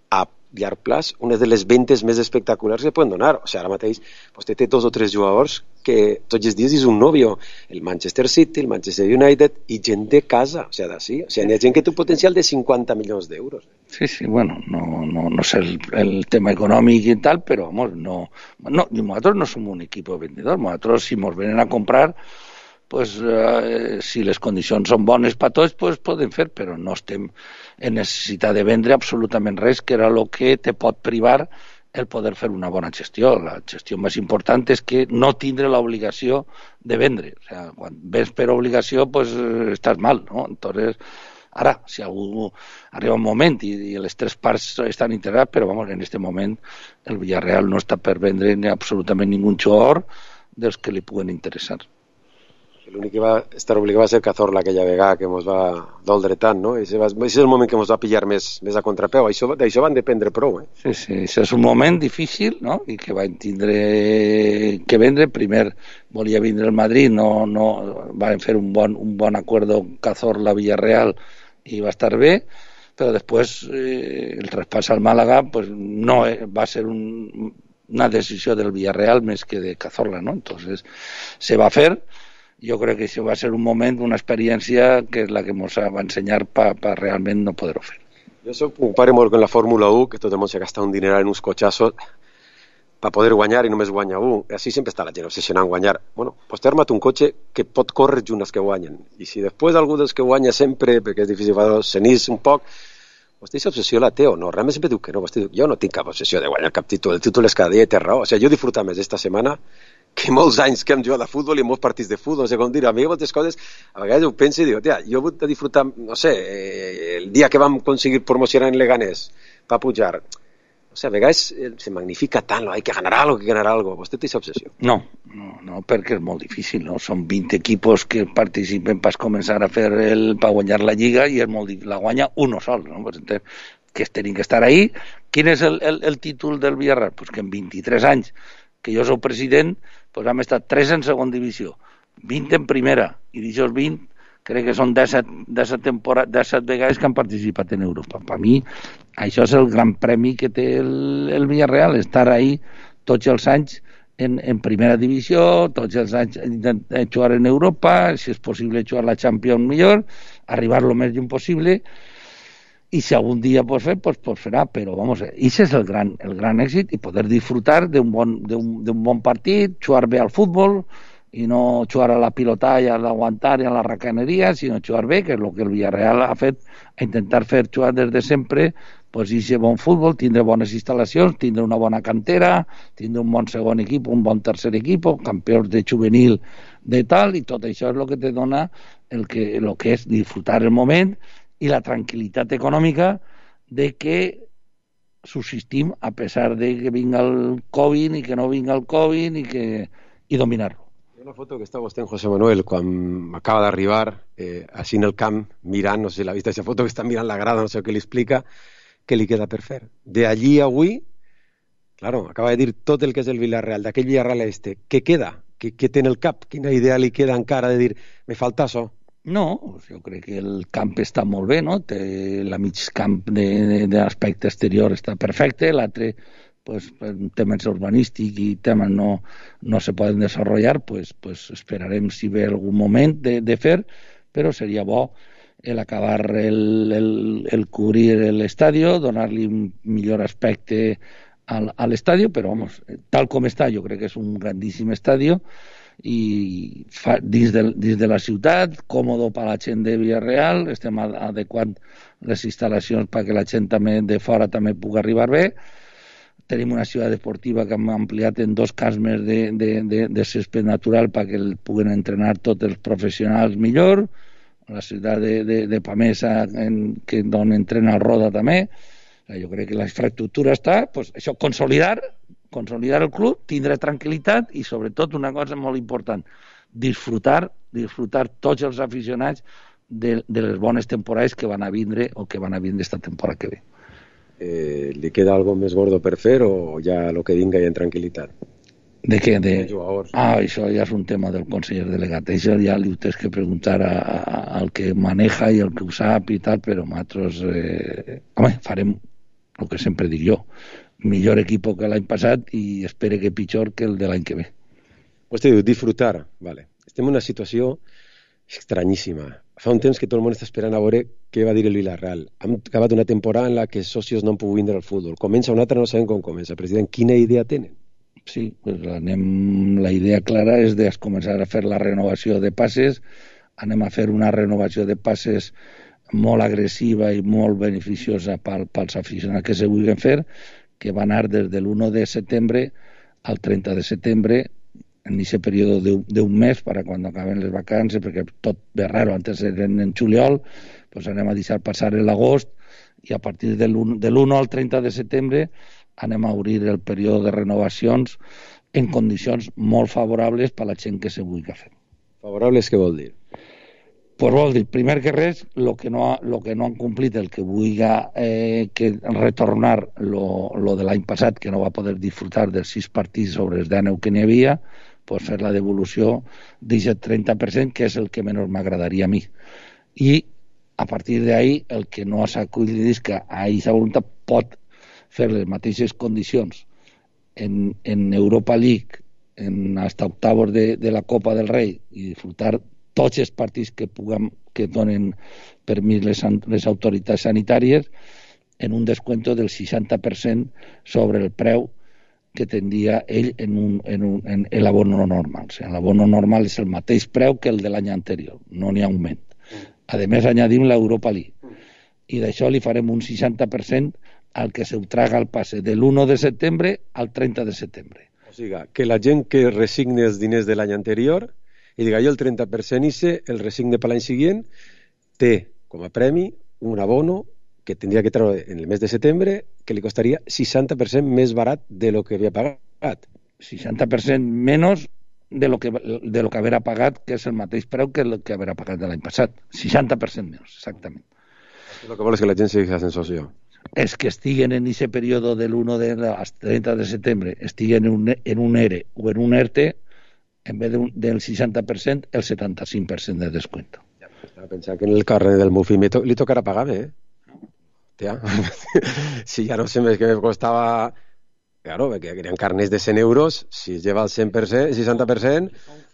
a llarg plaç una de les ventes més espectaculars que poden donar. O sigui, ara mateix vostè té 2 o 3 jugadors que tots els dies és un nòvio, el Manchester City, el Manchester United i gent de casa, o sigui, d'ací. O sigui, hi ha gent que té un potencial de 50 milions d'euros. Sí, bueno, no sé el tema econòmic i tal, però nosaltres no som un equip vendedor, nosaltres si ens venen a comprar pues, si les condicions són bones per tots, pues, podem fer, però no estem en necessitat de vendre absolutament res, que era el que te pot privar el poder fer una bona gestió. La gestió més important és que no tindre l'obligació de vendre. O sea, quan ves per obligació, pues, estàs mal, no? Entonces, ara, si algú arriba un moment i les 3 parts estan integrades, però vamos, en este moment el Villarreal no està per vendre absolutament ningú jugador dels que li puguen interessar. L'únic que va estar obligat va ser Cazorla aquella vegada que ens va doldre tant, no? Ese és el moment que ens va pillar més a contrapeu. D'això van dependre prou, Sí, això és un moment difícil, no? I que van tindre que vendre. Primer volia vindre el Madrid, no van fer un bon acuerdo Cazorla-Villarreal i va estar bé, però després el traspàs al Màlaga pues, no va ser una decisió del Villarreal més que de Cazorla, ¿no? Entonces se va a fer. Jo crec que això va ser un moment, una experiència que és la que ens va ensenyar per realment no poder-ho fer. Jo comparo molt amb la Fórmula 1, que tot el món s'ha gastat un dineral en uns cotxassos per poder guanyar i només guanya un. Així sempre està la gent obsessionant en guanyar. Bueno, pues t'he armat un cotxe que pot córrer junt als que guanyen. I si després algú dels que guanya sempre, perquè és difícil s'enís un poc, vostè aquesta obsessió la té o no? Realment sempre diu que no. Vostè diu, jo no tinc cap obsessió de guanyar cap títol. El títol és cada dia i té raó. O sigui, jo he disfrutat més esta setmana que molts anys que hem jugat a futbol i molts partits de futbol, no sé com dir, a mi moltes coses, a vegades ho penso i dic, tia, jo he hagut de disfrutar, no sé, el dia que vam aconseguir promocionar en Leganés per pujar, o sigui, a vegades se magnifica tant, hay que ganar algo, vostè té aquesta obsessió? No, perquè és molt difícil, no? Són 20 equipos que participen per començar a fer per guanyar la Lliga i és molt difícil, la guanya uno sol, no? Pues entonces, que tenim que estar ahí. Quin és el títol del Villarreal? Pues que en 23 anys que jo soc president, pues hem estat 3 en segona divisió, 20 en primera, i d'aixòs 20 crec que són 17 vegades que han participat en Europa. Per mi, això és el gran premi que té el Villarreal, estar ahí tots els anys en primera divisió, tots els anys jugar en Europa, si és possible jugar la Champions millor, arribar lo més lluny possible, i si algun dia pot fer, pues farà, però vamos, això és el gran èxit, i poder disfrutar d'un bon partit, jugar bé al futbol, i no jugar a la pilotalla, a l'aguantar i a la racaneria, sinó jugar bé, que és el que el Villarreal ha fet, a intentar fer jugar des de sempre, pues això bon futbol, tindre bones instal·lacions, tindre una bona cantera, tindre un bon segon equip, un bon tercer equip, campions de juvenil de tal, i tot això és el que te dona el que és disfrutar el moment i la tranquil·litat econòmica de que subsistim a pesar de que vinga el Covid i que no vinga el Covid i dominar-lo. Hi ha una foto que està vostè en José Manuel quan acaba d'arribar així en el camp mirant, no sé si l'ha vist aquesta foto, que està mirant la grada, no sé què li explica, què li queda per fer. D'allí a avui, claro, acaba de dir tot el que és el Villarreal, d'aquell Villarreal què queda? Què té en el cap? Quina idea li queda encara de dir, me falta això? No, jo crec que el camp està molt bé, no? La mig camp d'aspecte exterior està perfecte, l'altre, pues, temes urbanístics i temes no se poden desenvolupar, pues esperarem si ve algun moment de fer, però seria bo acabar el cobrir l'estadio, donar-li un millor aspecte a l'estadio, però vamos, tal com està, jo crec que és un grandíssim estadio, i dins de la ciutat, còmodo per a la gent de Villarreal, estem adequant les instal·lacions perquè la gent també de fora també pugui arribar bé. Tenim una ciutat esportiva que hem ampliat en 2 camps més de césped natural perquè puguen entrenar tots els professionals millor. La ciutat de Pamesa, on entrena el Roda també. Jo crec que la infraestructura està, pues, això, consolidar el club, tindre tranquil·litat i sobretot una cosa molt important, disfrutar tots els aficionats de les bones temporades que van a vindre o que van a vindre esta temporada que ve. ¿Le queda algo més gordo per fer o ja lo que vinga ja en tranquil·litat? De què? Això ja és un tema del conseller delegat. Això ja li tens que preguntar al que maneja i al que ho sap i tal, però nosaltres farem el que sempre dic jo, millor equip que l'any passat i espero que pitjor que el de l'any que ve. Vostè diu, disfrutar, vale. Estem en una situació estranyíssima. Fa un temps que tot el món està esperant a veure què va dir el Villarreal. Hem acabat una temporada en la que els socios no han pogut vindre al futbol. Comença una altra, no sabem com comença. President, quina idea tenen? Sí, pues la idea clara és de començar a fer la renovació de passes. Anem a fer una renovació de passes molt agressiva i molt beneficiosa pels aficionats que se vulguin fer, que va anar des de l'1 de setembre al 30 de setembre, en aquest període d'un mes, per a quan acaben les vacances, perquè tot ve raro, antes eren en juliol, pues anem a deixar passar l'agost, i a partir de l'1 al 30 de setembre anem a obrir el període de renovacions en condicions molt favorables per a la gent que se vulgui fer. Fa Favorables què vol dir? Pues vol dir, primer que res, lo que no han complit, el que vulga que retornar lo de l'any passat, que no va poder disfrutar dels 6 partits sobre els 19 que n'hi havia, pues fer la devolució d'aquest 30%, que és el que menys m'agradaria a mi. I a partir d'ahí, el que no s'ha acollit és que a aquesta voluntat pot fer les mateixes condicions en Europa League, hasta octavos de la Copa del Rei, i disfrutar tots els partits que donen permís les autoritats sanitàries en un descuento del 60% sobre el preu que tindria ell en l'abono normal. O sigui, l'abono normal és el mateix preu que el de l'any anterior, no n'hi ha augment. A més, añadim l'Europa League. I d'això li farem un 60% al que se traga el passe de l'1 de setembre al 30 de setembre. O sigui, que la gent que resigni els diners de l'any anterior i diga jo el 30% ICE, el resigne per l'any següent, té com a premi un abono que tindria que treure en el mes de setembre que li costaria 60% més barat de lo que havia pagat. 60% menys de lo que haurà pagat, que és el mateix preu que el que haurà pagat de l'any passat. 60% menys, exactament. El que vol és que la gent sigui la sensació. És que estiguen en aquest període de l'1 al 30 de setembre, estiguen en un ERE o en un ERTE, en vez del 60%, el 75% de descuento. Estava pensant que en el carrer del Mufi li tocarà pagar bé, Tia. Si ja no sé més que me costava... Claro, que querían carnets de 100 euros, si lleva el 100%, 60%,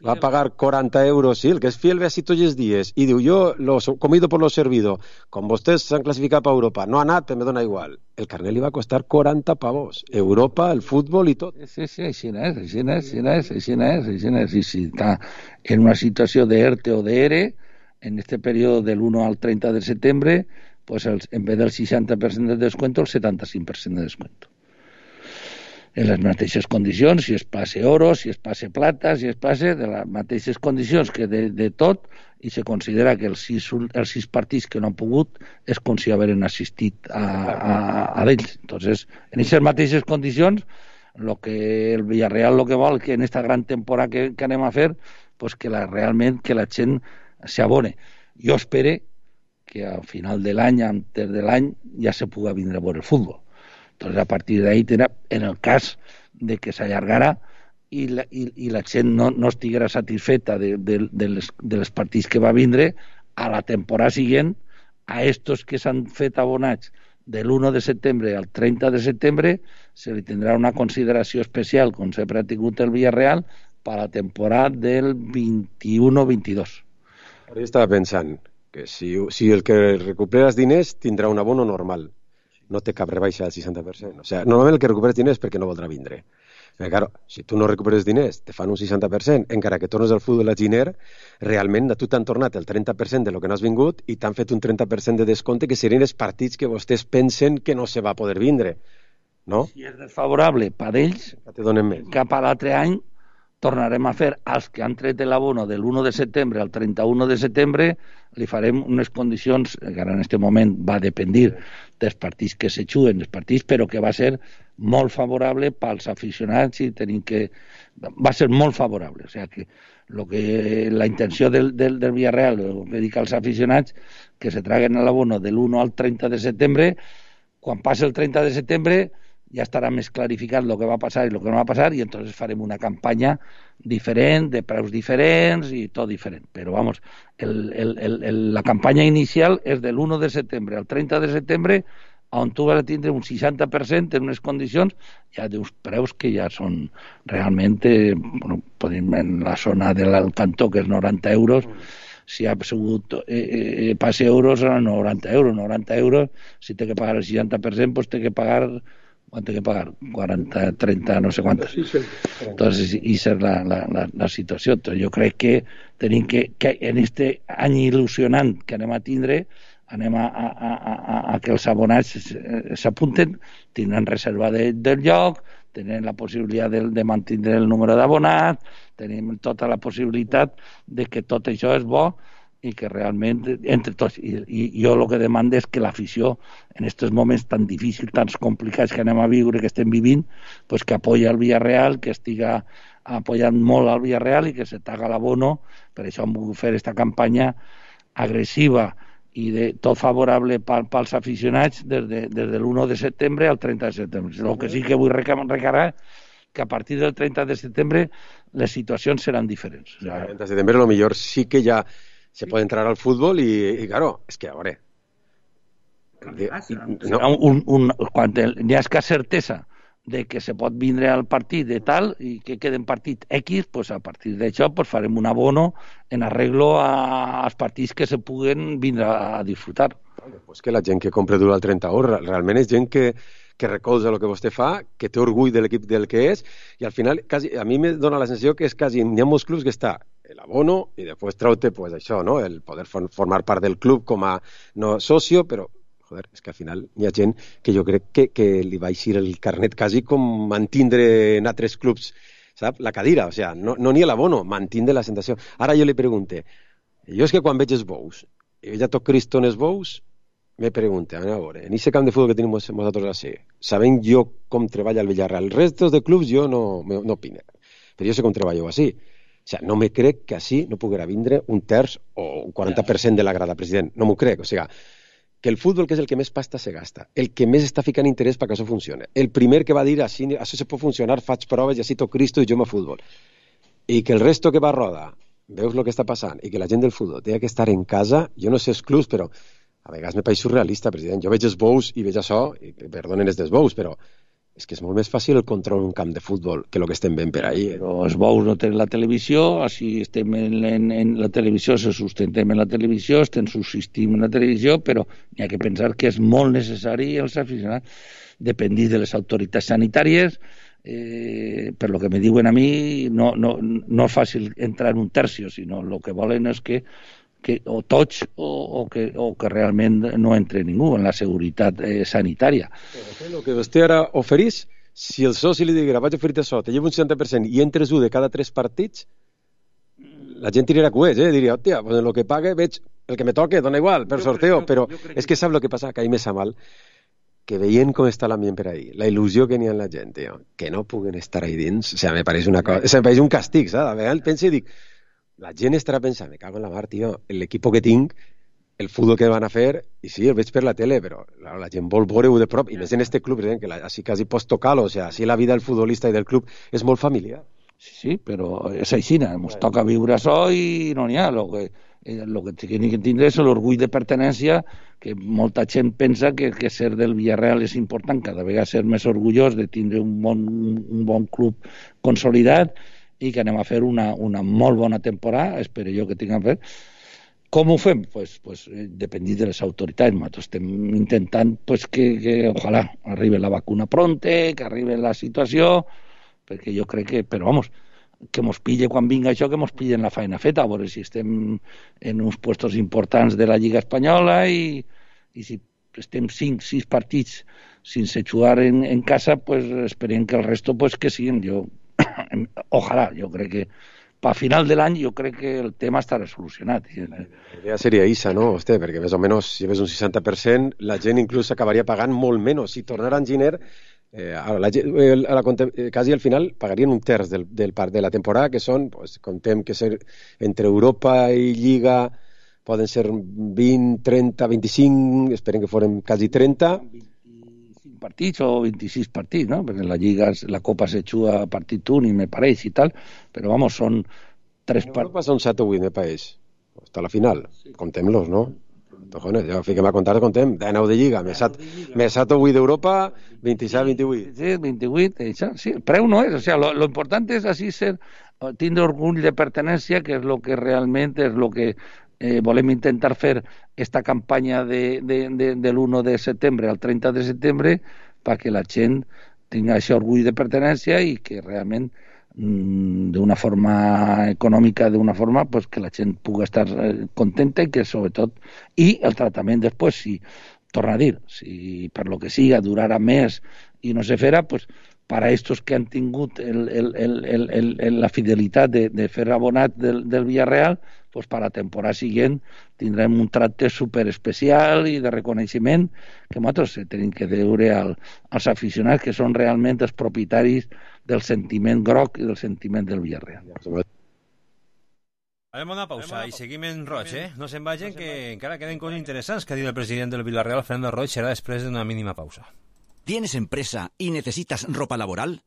va a pagar 40 euros, sí, el que es fiel ve así tots els dies, i diu, yo lo comido por lo servido, com vostès s'han classificat per Europa, no ha anat, però me dona igual. El carnet li va costar 40 pavos. Europa, el futbol i tot. Sí, així és. I si està en una situació d'ERTE o d'ERE, en este període del 1 al 30 de setembre, pues en vez del 60% de descuento, el 75% de descuento. En les mateixes condicions, si es passe oro, si es passe plata, si es passe de les mateixes condicions que de tot, i se considera que els 6 partits que no han pogut és com si haveren assistit a d'ells. Entonces, en aquestes mateixes condicions, el Villarreal lo que vol que en esta gran temporada que anem a fer, pues que realment que la gent s'abone. Jo espero que al final de l'any, antes de l'any, ja se pugui vindre a veure el futbol. Entonces, a partir de ahí, en el cas de que s'allargara i la gent no estiguera satisfeta de les partits que va vindre, a la temporada següent, a estos que s'han fet abonats de l'1 de setembre al 30 de setembre, se li tindrà una consideració especial, com sempre ha tingut el Villarreal, per a la temporada del 21-22. Ara jo estava pensant que si el que recupera els diners tindrà un abono normal. No té cap rebaixa del 60%. O sigui, normalment el que recuperes diners perquè no voldrà vindre. Però, claro, si tu no recuperes diners, te fan un 60%, encara que tornes al futbol a Giner, realment a tu t'han tornat el 30% de lo que no has vingut i t'han fet un 30% de descompte que serien els partits que vostès pensen que no se va poder vindre. No? Si és desfavorable per ells, cap a l'altre any tornarem a fer als que han tret l'abono de l'1 de setembre al 31 de setembre, li farem unes condicions, que ara en aquest moment va dependir dels partits que se juguen, els partits, però que va ser molt favorable pels aficionats i tenim que... Va ser molt favorable, o sigui que la intenció del Villarreal, el que dic als aficionats, que se traguen l'abono de l'1 al 30 de setembre, quan passi el 30 de setembre ja estarà més clarificat el que va passar i el que no va passar i entonces farem una campanya diferent, de preus diferents i tot diferent. Però, vamos, la campanya inicial és de l'1 de setembre al 30 de setembre, on tu vas a tindre un 60% en unes condicions, ja d'uns preus que ja són realment, podem en la zona del cantó, que és 90 euros, si ha sigut passe euros, 90 euros, si té que pagar el 60%, pues té que pagar... ¿Cuánto hay que pagar? 40, 30, no sé cuántos. Entonces, esa es la situació. Entonces, jo crec que tenim que en este any il·lusionant que anem a tindre, anem a que els abonats s'apunten, tindran reserva del lloc, tenen la possibilitat de mantenir el número d'abonats, tenim tota la possibilitat de que tot això és bo i que realment, entre tots, i jo el que demano és que l'afició, en aquests moments tan difícils, tan complicats que anem a viure, que estem vivint, pues que apoya el Villarreal, que estiga apoyant molt al Villarreal i que se taga l'abono. Per això hem volgut fer aquesta campanya agressiva i de tot favorable pels aficionats des de l'1 de setembre al 30 de setembre. El que sí que vull recargar que a partir del 30 de setembre les situacions seran diferents. El 30 de setembre lo millor sí que ja se puede entrar al fútbol y claro, es que ahora... Quan n'hi ha escassa certesa de que se pot vindre al partit de tal i que queden partit X, pues a partir d'això pues farem un abono en arreglo als partits que se puguen vindre a disfrutar. Pues que la gent que compra durant el 30 hores realment és gent que recolza el que vostè fa, que té orgull de l'equip del que és, i al final quasi, a mi me dona la sensació que és quasi, n'hi ha molts clubs que està l'abono i després trau-te pues, això, no? El poder formar part del club com a no socio, però joder, és que al final hi ha gent que jo crec que li va eixir el carnet quasi com mantindre en altres clubs, sap? La cadira, o sea, no ni l'abono, mantindre la sensació. Ara jo li pregunte, jo és que quan veig els bous, i veig a tot Cristo en els bous, me pregunte, a veure, en aquest camp de futbol que tenim nosaltres així, sabent jo com treballa el Villarreal, els restos de clubs jo no opino, però jo sé com treballo així. O sea, no me crec que així no poguera vindre un terç o un 40% de la grada, president. No m'ho crec. O sigui, que el futbol, que és el que més pasta se gasta, el que més està ficant interès perquè això funcione, el primer que va dir així, això se pot funcionar, faig proves i així tot Cristo i jo me futbol. I que el resto que va a roda, veus el que està passant, i que la gent del futbol té que estar en casa, jo no sé els clubs, però a vegades me pareix surrealista, president. Jo veig els bous i veig això, i perdonen els dels bous, però és que és molt més fàcil el control en un camp de futbol que el que estem veient per ahí. Però els bous no tenen la televisió, així estem en la televisió, se sustentem en la televisió, estem subsistim en la televisió, però hi ha que pensar que és molt necessari els aficionats dependir de les autoritats sanitàries. Per lo que me diuen a mi, no és fàcil entrar en un tercio, sinó el que volen és que o tots o que realment no entre ningú en la seguretat sanitària. El que vostè ara oferís, si el soci li diguera vaig oferir-te això, te llevo un 60% i entres un de cada 3 partits, la gent tirarà coets, diria, hòstia, pues en el que pague veig el que me toque, dona igual, per sorteo, però és que sap el que passa, que a mi me sap mal, que veient com està l'ambient per ahí, la il·lusió que n'hi ha en la gent, que no puguen estar ahí dins, o sigui, me pareix una cosa, me pareix un càstig, saps? A vegades penso i dic, la gent estarà pensant, me cago en la mar, tio, l'equip que tinc, el futbol que van a fer, i sí, el veig per la tele, però la gent vol veure-ho de prop, i més en este club, que així quasi pots tocar-lo, o sigui, així la vida del futbolista i del club és molt familiar. Sí, però és així, ens toca viure això i no n'hi ha. El que tenim que tindre és l'orgull de pertenència, que molta gent pensa que ser del Villarreal és important, cada vegada ser més orgullós de tindre un bon club consolidat, i que anem a fer una molt bona temporada, espero jo que tinguem fet. Com ho fem? Pues dependir de les autoritats. Nosaltres estem intentant que ojalà arribi la vacuna pronte, que arribi la situació, perquè jo crec que, però vamos, que mos pille quan vinga això, que mos pillen la feina feta, a veure si estem en uns puestos importants de la Lliga Espanyola i si estem 5-6 partits sense jugar en casa, pues esperem que el resto que siguin. Ojalà, jo crec que a final de l'any jo crec que el tema estarà solucionat. La idea seria isa, no, vostè? Perquè més o menys si ves un 60%, la gent inclús acabaria pagant molt menys. Si tornara en gener, quasi al final pagarien un terç de la temporada, que són, contem que ser entre Europa i Lliga poden ser 20, 30, 25, esperem que foren quasi 30, partits o 26 partits, no? Perquè la Lliga, la Copa se juga a partit únic, me pareix, i tal, però vamos, són 3 partits. Europa són 7 o 8, me pareix, hasta la final, contem-los, no? Cojones, ja fiquem a comptar, contem, 19 de Lliga, més 7 o 8 d'Europa, 27, 28. Sí, 28, això, sí, el preu no és, o sea, lo important és així tindre orgull de pertenència, que és lo que realment és lo que volem intentar fer esta campanya de l'1 de setembre al 30 de setembre perquè la gent tingui aquest orgull de pertenència i que realment d'una forma econòmica, d'una forma pues, que la gent pugui estar contenta i que sobretot, i el tractament després, si torna a dir, si per lo que siga durarà més i no se farà, pues, para estos que han tingut la fidelitat de fer abonat del Villarreal, pues per a la temporada següent tindrem un tracte superespecial i de reconeixement que nosaltres tenim que deure als aficionats que són realment els propietaris del sentiment groc i del sentiment del Villarreal. Farem una pausa i seguim en Roig, No se'n vagin, que encara queden coses interessants que ha dit el president del Villarreal, Fernando Roig, serà després d'una mínima pausa. ¿Tienes empresa y necesitas ropa laboral?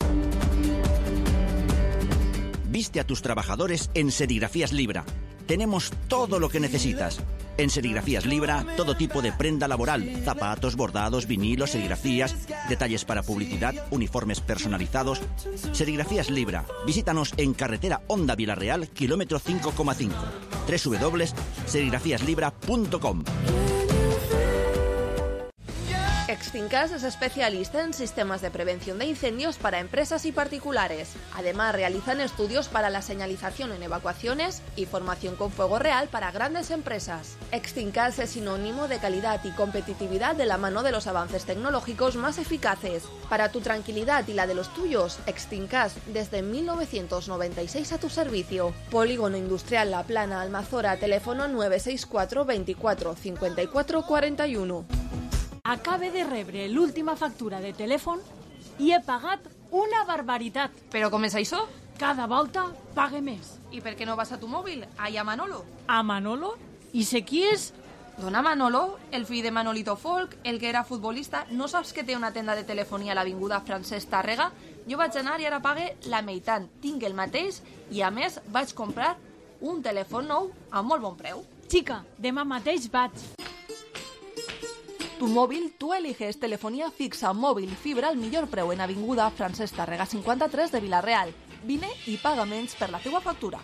Viste a tus trabajadores en Serigrafías Libra. Tenemos todo lo que necesitas. En Serigrafías Libra, todo tipo de prenda laboral, zapatos, bordados, vinilos, serigrafías, detalles para publicidad, uniformes personalizados. Serigrafías Libra. Visítanos en carretera Honda Villarreal, kilómetro 5,5. www.serigrafíaslibra.com. Extincas es especialista en sistemas de prevención de incendios para empresas y particulares. Además, realizan estudios para la señalización en evacuaciones y formación con fuego real para grandes empresas. Extincas es sinónimo de calidad y competitividad de la mano de los avances tecnológicos más eficaces. Para tu tranquilidad y la de los tuyos, Extincas desde 1996 a tu servicio. Polígono Industrial La Plana, Almazora, teléfono 964 24 54 41. Acabe de rebre l'última factura de telèfon i he pagat una barbaritat. Però com és això? Cada volta pague més. I per què no vas a tu mòbil? Allà a Manolo. A Manolo? I sé qui és? Dona Manolo, el fill de Manolito Folk, el que era futbolista, no saps que té una tenda de telefonia a l'avinguda Francesc Tàrrega? Jo vaig anar i ara pague la meitat. Tinc el mateix i, a més, vaig comprar un telèfon nou a molt bon preu. Chica, demà mateix vaig. Tu móvil, tú eliges telefonía fixa, móvil, fibra al millor preu en avinguda Francesc Tàrrega 53 de Villarreal. Vine i paga menys per la teua factura.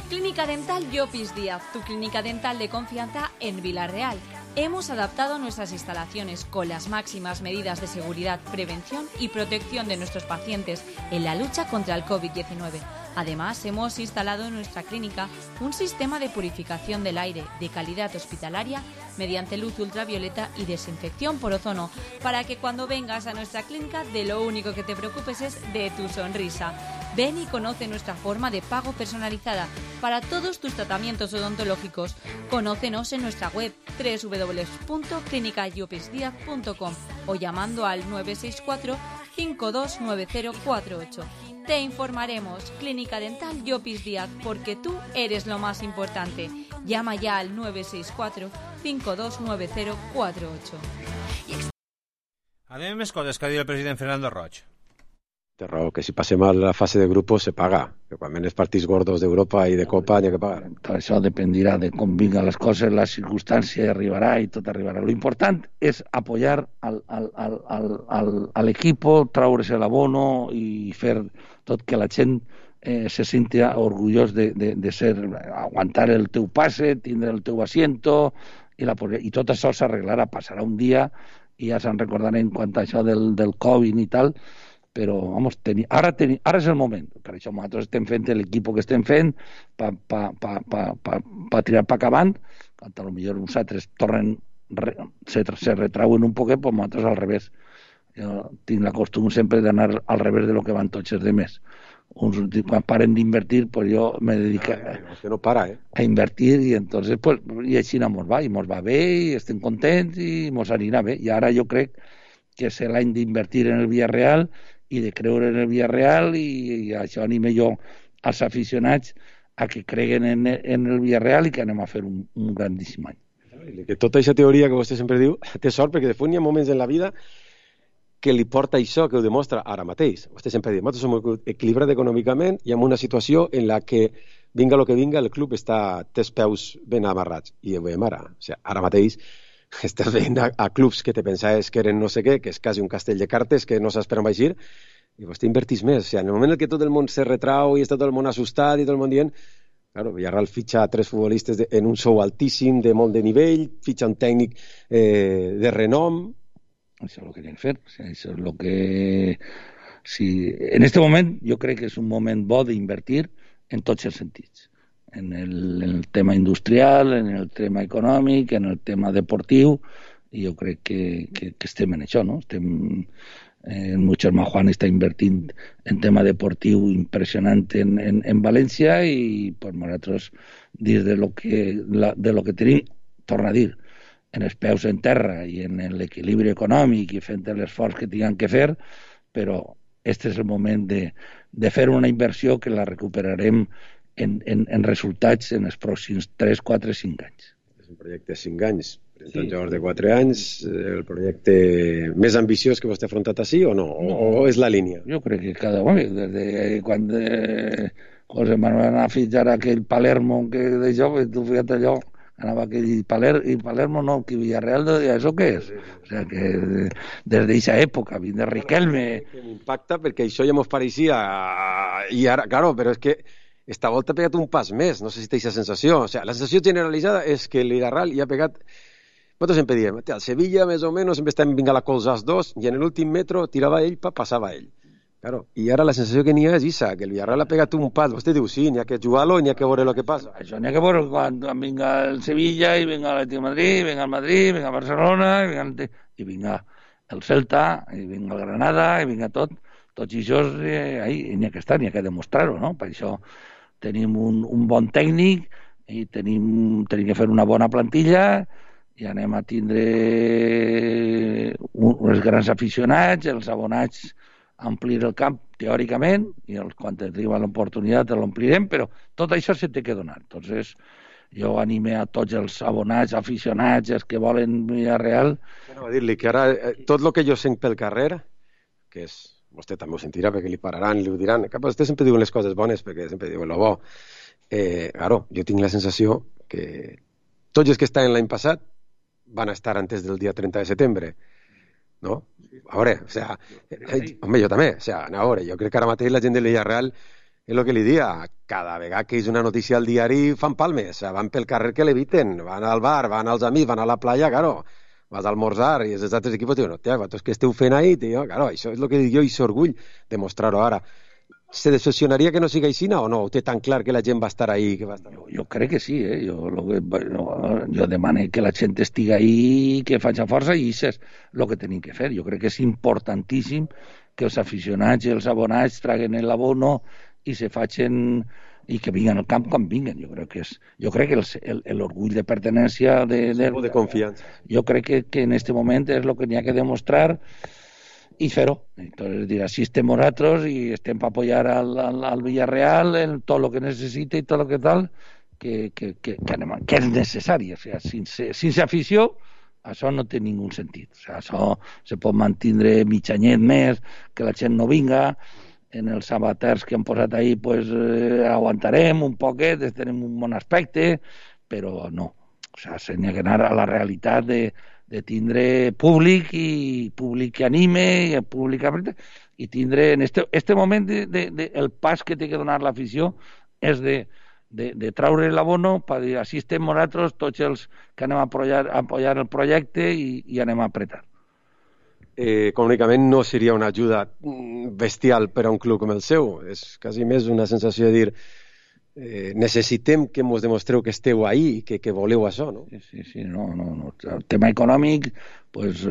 Clínica Dental Llopis Díaz, tu clínica dental de confianza en Villarreal. Hemos adaptado nuestras instalaciones con las máximas medidas de seguridad, prevención y protección de nuestros pacientes en la lucha contra el COVID-19. Además, hemos instalado en nuestra clínica un sistema de purificación del aire de calidad hospitalaria mediante luz ultravioleta y desinfección por ozono, para que cuando vengas a nuestra clínica de lo único que te preocupes es de tu sonrisa. Ven y conoce nuestra forma de pago personalizada para todos tus tratamientos odontológicos. Conócenos en nuestra web www.clinicallopisdiaz.com o llamando al 964 529048. Te informaremos. Clínica Dental Llopis Díaz, porque tú eres lo más importante. Llama ya al 964 529048. Anem més coses que ha dit el president Fernando Roig. Té raó, que si passem a la fase de grupos se paga, que quan ven els partits gordos d'Europa i de Copa n'hi ha que pagar. Tot això dependirà de com vinguin les coses, la circumstància arribarà i tot arribarà. Lo important és apoyar al equipo, traure's l'abono i fer tot que la gent se senti orgullós de ser, aguantar el teu passe, tindre el teu asiento, i tot això s'arreglarà, passarà un dia i ja se'n recordarem quant a això del Covid i tal, però vamos, ara és el moment. Per això nosaltres estem fent l'equip que estem fent per tirar per acabant, quan potser uns altres se retrauen un poquet, però nosaltres al revés. Jo tinc la costum sempre d'anar al revés de lo que van tots els demés. Quan paren d'invertir, pues jo me dedico a invertir i entonces pues, i així mos va, i mos va bé, i estem contents i mos anirà bé. I ara jo crec que és l'any d'invertir en el Villarreal i de creure en el Villarreal, i això anime jo als aficionats a que creguen en el Villarreal i que anem a fer un grandíssim any. Que tota aquesta teoria que vostè sempre diu té sort, perquè de fet hi ha moments en la vida que li porta això, que ho demostra ara mateix. Vostè sempre diu, nosaltres som equilibrats econòmicament i en una situació en la que, vinga el que vinga, el club té els peus ben amarrats. I ho veiem ara. O sigui, ara mateix estàs veient a clubs que te pensaves que eren no sé què, que és quasi un castell de cartes que no saps per on va eixir, i vostè invertís més. O sigui, en el moment en què tot el món se retrau i està tot el món assustat i tot el món dient, claro, Villarreal fitxa 3 futbolistes en un sou altíssim, de molt de nivell, fitxa un tècnic de renom. Això és el que hem de fer. Això és el que... En aquest moment jo crec que és un moment bo d'invertir en tots els sentits. En el tema industrial, en el tema econòmic, en el tema deportiu, i jo crec que estem en això, no? Germà Juan està invertint en tema deportiu impressionant en València i pues, nosaltres, dins de lo que tenim, torna a dir, en els peus en terra i en l'equilibri econòmic i fent l'esforç que tinguem que fer, però este és el moment de fer una inversió que la recuperarem en resultats en els pròxims 3, 4, 5 anys. És un projecte de 5 anys. Sí. Llavors, de 4 anys, el projecte més ambiciós que vostè ha afrontat així o no? O és la línia? Jo crec que cada home, des de quan José Manuel anava a fitxar aquell Palermo que de jove, tu fíjate allò, anava aquell Palermo no, que Villarreal, això què és? O sigui que des d'aquesta època, vint de Riquelme... M'impacta perquè això ja mos pareixia i ara, claro, però és que esta volta ha pegat un pas més, no sé si té aquesta sensació. O sigui, la sensació generalitzada és que el Villarreal ja ha pegat... Nosaltres sempre diem, el Sevilla més o menys sempre estem vinga a colzar els dos i en l'últim metro tirava ell, passava ell. Claro. I ara la sensació que n'hi ha és això, que el Villarreal ha pegat un pas. Vostè diu, sí, n'hi ha que jugar-lo i n'hi ha que veure el que passa. Això n'hi ha que veure quan vinga el Sevilla i vinga l'Atlético de Madrid, vinga el Madrid, vinga el Barcelona i vinga el Celta i vinga el Granada i vinga tots això n'hi ha que estar, n'hi ha que demostrar-ho, no? Per això tenim un bon tècnic i tenim que fer una bona plantilla i anem a tindre uns grans aficionats, els abonats a omplir el camp teòricament i quan tenim l'oportunitat l'omplirem, però tot això se té que donar. Entonces, jo anime a tots els abonats, aficionats, els que volen Villarreal. Bueno, a dir-li que ara tot el que jo sent pel carrer, que és, vostè també ho sentirà perquè li pararan, li ho diran, que vostè sempre diuen les coses bones perquè sempre diuen lo bo. Claro, jo tinc la sensació que tots els que estaven l'any passat van a estar antes del dia 30 de setembre, ¿no? A veure, o sea, home, jo també, o sea, a veure, jo crec que ara mateix la gent del Villarreal és el que li dia, cada vegada que és una notícia al diari fan palmes, o sea, van pel carrer que l'eviten, van al bar, van als amics, van a la playa, claro, vas a almorzar i els altres equipos diuen, hòstia, vosaltres què esteu fent ahí, tio? Claro, això és el que dic jo i s'orgull de mostrar-ho ara. Se decepcionaria que no siga així o no? O té tan clar que la gent va estar ahí? Que va estar... Jo crec que sí, jo demano que la gent estigui ahí, que faci força i això és el que tenim que fer. Jo crec que és importantíssim que els aficionats i els abonats traguen l'abono i se facin i que vinguin al camp quan vinguin. Jo crec que l'orgull de pertenència de confiança. Jo crec que en aquest moment és el que n'hi ha que demostrar i fer-ho. Entonces, dir, així estem nosaltres i estem per apoyar al Villarreal en tot el que necessita i tot el que tal, que és necessari. O sea, sense afició, això no té ningú sentit. O sea, això se pot mantindre mig anyet més, que la gent no vinga, en els amateurs que han posat ahí pues, aguantarem un poquet, tenim un bon aspecte, però no. O sea, s'ha que anar a la realitat de tindre públic i públic que anime i tindre en este moment el pas que té que donar l'afició és de traure l'abono per dir així estem nosaltres tots els que anem a apoyar el projecte i anem a apretar. Econòmicament no seria una ajuda bestial per a un club com el seu, és quasi més una sensació de dir necessitem que ens demostreu que esteu ahí i que voleu això, no? Sí, no. El tema econòmic, pues,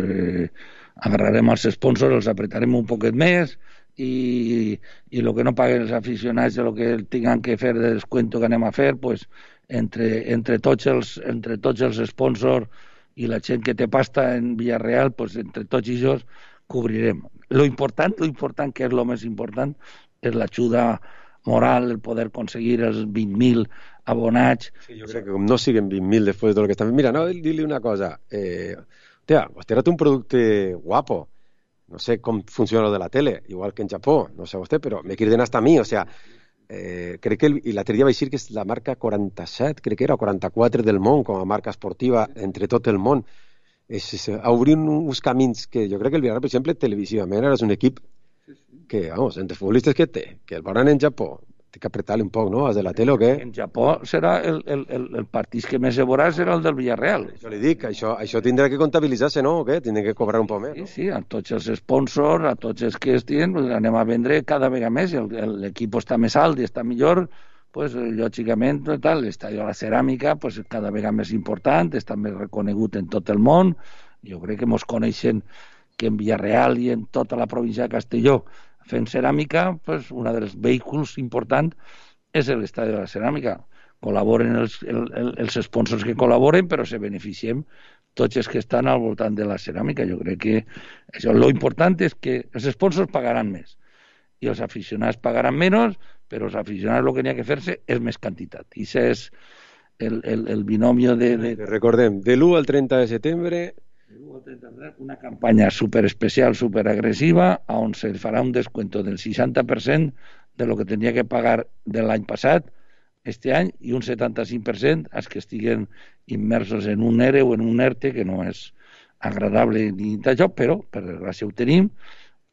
agarrarem els sponsors, els apretarem un poquet més i el que no paguen els aficionats, el que tinguin que fer de descuento que anem a fer, pues, entre tots els sponsors i la gent que té pasta en Villarreal, pues, entre tots ells cobrirem. Lo important, que és el més important, és l'ajuda moral, el poder aconseguir els 20.000 abonats. Sí, jo crec que com no siguen 20.000 després del que estan... Mira, no, dir-li una cosa. Vostè ha un producte guapo. No sé com funciona lo de la tele, igual que en Japó, no sé vostè, però me quieren hasta a mi, o sea, crec que l'altre dia vaig dir que és la marca 47, crec que era, o 44 del món, com a marca esportiva entre tot el món. Obrir uns camins que jo crec que el Villarreal, per exemple, televisivament és un equip que, vamos, entre futbolistes que té, que el veuran en Japó, té que apretar-li un poc, no? Els de la tele o què? En Japó serà el partit que més se veurà serà el del Villarreal. Això li dic, això tindrà que comptabilitzar-se, no? O què? Tindrà que cobrar un poc més, no? Sí, a tots els sponsors, a tots els que estiguin, anem a vendre cada vegada més. L'equip està més alt i està millor, pues, lògicament, l'estadi de la ceràmica pues, cada vegada més important, està més reconegut en tot el món. Jo crec que ens coneixen que en Villarreal i en tota la província de Castelló fent ceràmica, pues, un dels vehicles importants és l'Estadi de la Ceràmica. Col·laboren els sponsors que col·laboren, però se beneficiem tots els que estan al voltant de la ceràmica. Jo crec que això, lo important és que els sponsors pagaran més i els aficionats pagaran menys, però els aficionats el que n'hi ha que fer-se és més quantitat. I això és el binomio de... Recordem, de l'1 al 30 de setembre... Una campanya superespecial, superagressiva, on se farà un descuento del 60% de lo que tenia que pagar de l'any passat, este any, i un 75% als que estiguen immersos en un ERE o en un ERTE, que no és agradable ni d'això, però per desgràcia ho tenim,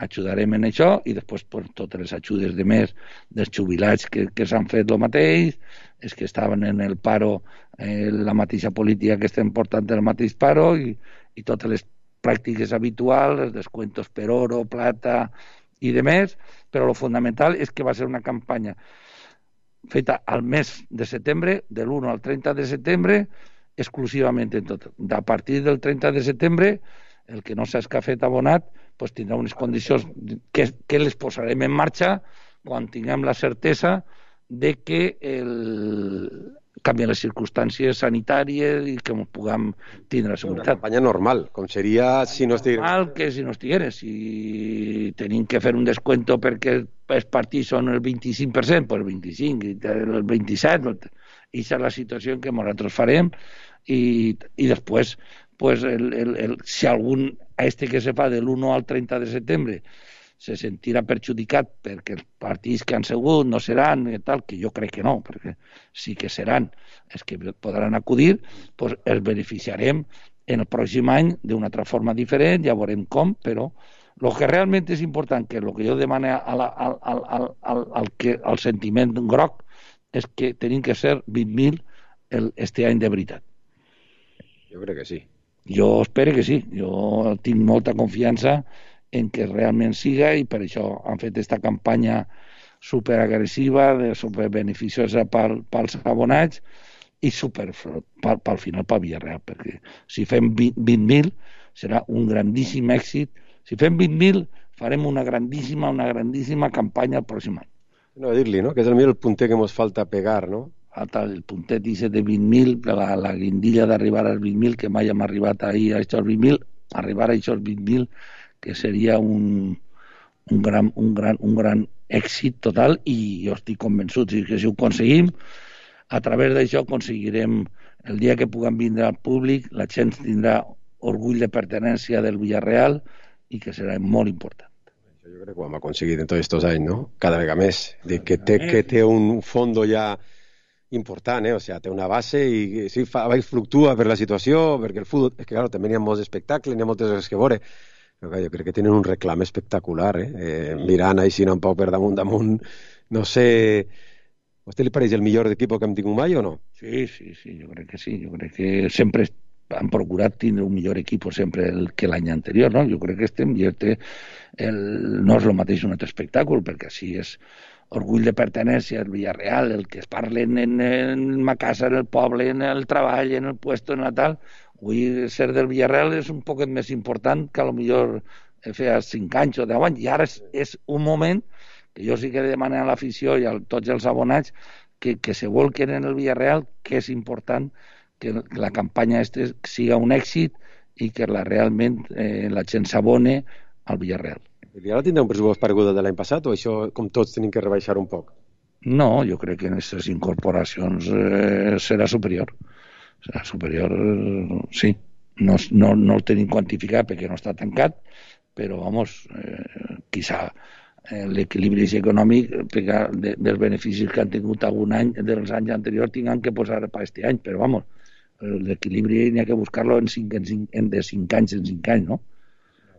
ajudarem en això, i després per totes les ajudes de més dels jubilats que s'han fet el mateix, els que estaven en el paro, la mateixa política que estem portant el mateix paro, i totes les pràctiques habituals, els descuentos per oro, plata i de més, però el fundamental és que va ser una campanya feta al mes de setembre, de l'1 al 30 de setembre, exclusivament en tot. A partir del 30 de setembre, el que no s'ha escafet abonat pues tindrà unes condicions que les posarem en marxa quan tinguem la certesa de que canvien les circumstàncies sanitàries i que ens puguem tindre la seguretat. Una campanya normal, com seria si no estigués. Normal que si no estigués. Si tenim que fer un descuento perquè els partits són el 25%, pues el 25%, el 27%, i és la situació que nosaltres farem, i després pues si algun que se fa de l'1 al 30 de setembre se sentirà perjudicat perquè els partits que han sigut no seran i tal, que jo crec que no, perquè sí que seran els que podran acudir, pues els beneficiarem en el pròxim any d'una altra forma diferent, ja veurem com, però el que realment és important, que el que jo demano al sentiment groc, és que tenim que ser 20.000 este any de veritat. Jo crec que sí. Jo espero que sí. Jo tinc molta confiança en que realment siga, i per això han fet aquesta campanya superagressiva, superbeneficiosa pels abonats i pel final pel Villarreal, perquè si fem 20.000 serà un grandíssim èxit. Si fem 20.000 farem una grandíssima campanya el pròxim any. No, dir-li, no? Que és el punter que ens falta pegar, no? El puntet de 20.000, la guindilla d'arribar als 20.000, que mai hem arribat ahir a aquests 20.000, arribar a aquests 20.000, que seria un gran èxit total, i jo estic convençut que si ho aconseguim, a través d'això aconseguirem el dia que puguem vindre al públic, la gent tindrà orgull de pertenència del Villarreal i que serà molt important. Jo crec que ho hem aconseguit en tots aquests anys, no? Cada vegada més. Que té un fondo ja important, o sigui, té una base i sí, fluctua per la situació, perquè el futbol, és que clar, també hi ha molts espectacles, hi ha moltes coses que veure, però clar, jo crec que tenen un reclam espectacular, mirant així un poc per damunt, no sé, a vostè li pareix el millor equip que hem tingut mai o no? Sí, jo crec que sí, jo crec que sempre han procurat tindre un millor equip sempre que l'any anterior, no? Jo crec que no és el mateix un altre espectacle, perquè així és orgull de pertenència al Villarreal, el que es parlen en ma casa, en el poble, en el treball, en el puesto, en la tal. Avui ser del Villarreal és un poquet més important que potser feia 5 anys o 10 anys, i ara és un moment que jo sí que demano a l'afició i a tots els abonats que se volquen en el Villarreal, que és important que la campanya siga un èxit i que realment la gent s'abone al Villarreal. I ara tindrà un pressupost paregut de l'any passat o això, com tots, tenim que rebaixar un poc? No, jo crec que en aquestes incorporacions serà superior. Serà superior, sí. No el tenim quantificat perquè no està tancat, però, quizà l'equilibri econòmic dels beneficis que han tingut algun any dels anys anteriors tinguin que posar per aquest any, però, l'equilibri n'hi ha que buscar-lo de 5 anys en 5 anys, no?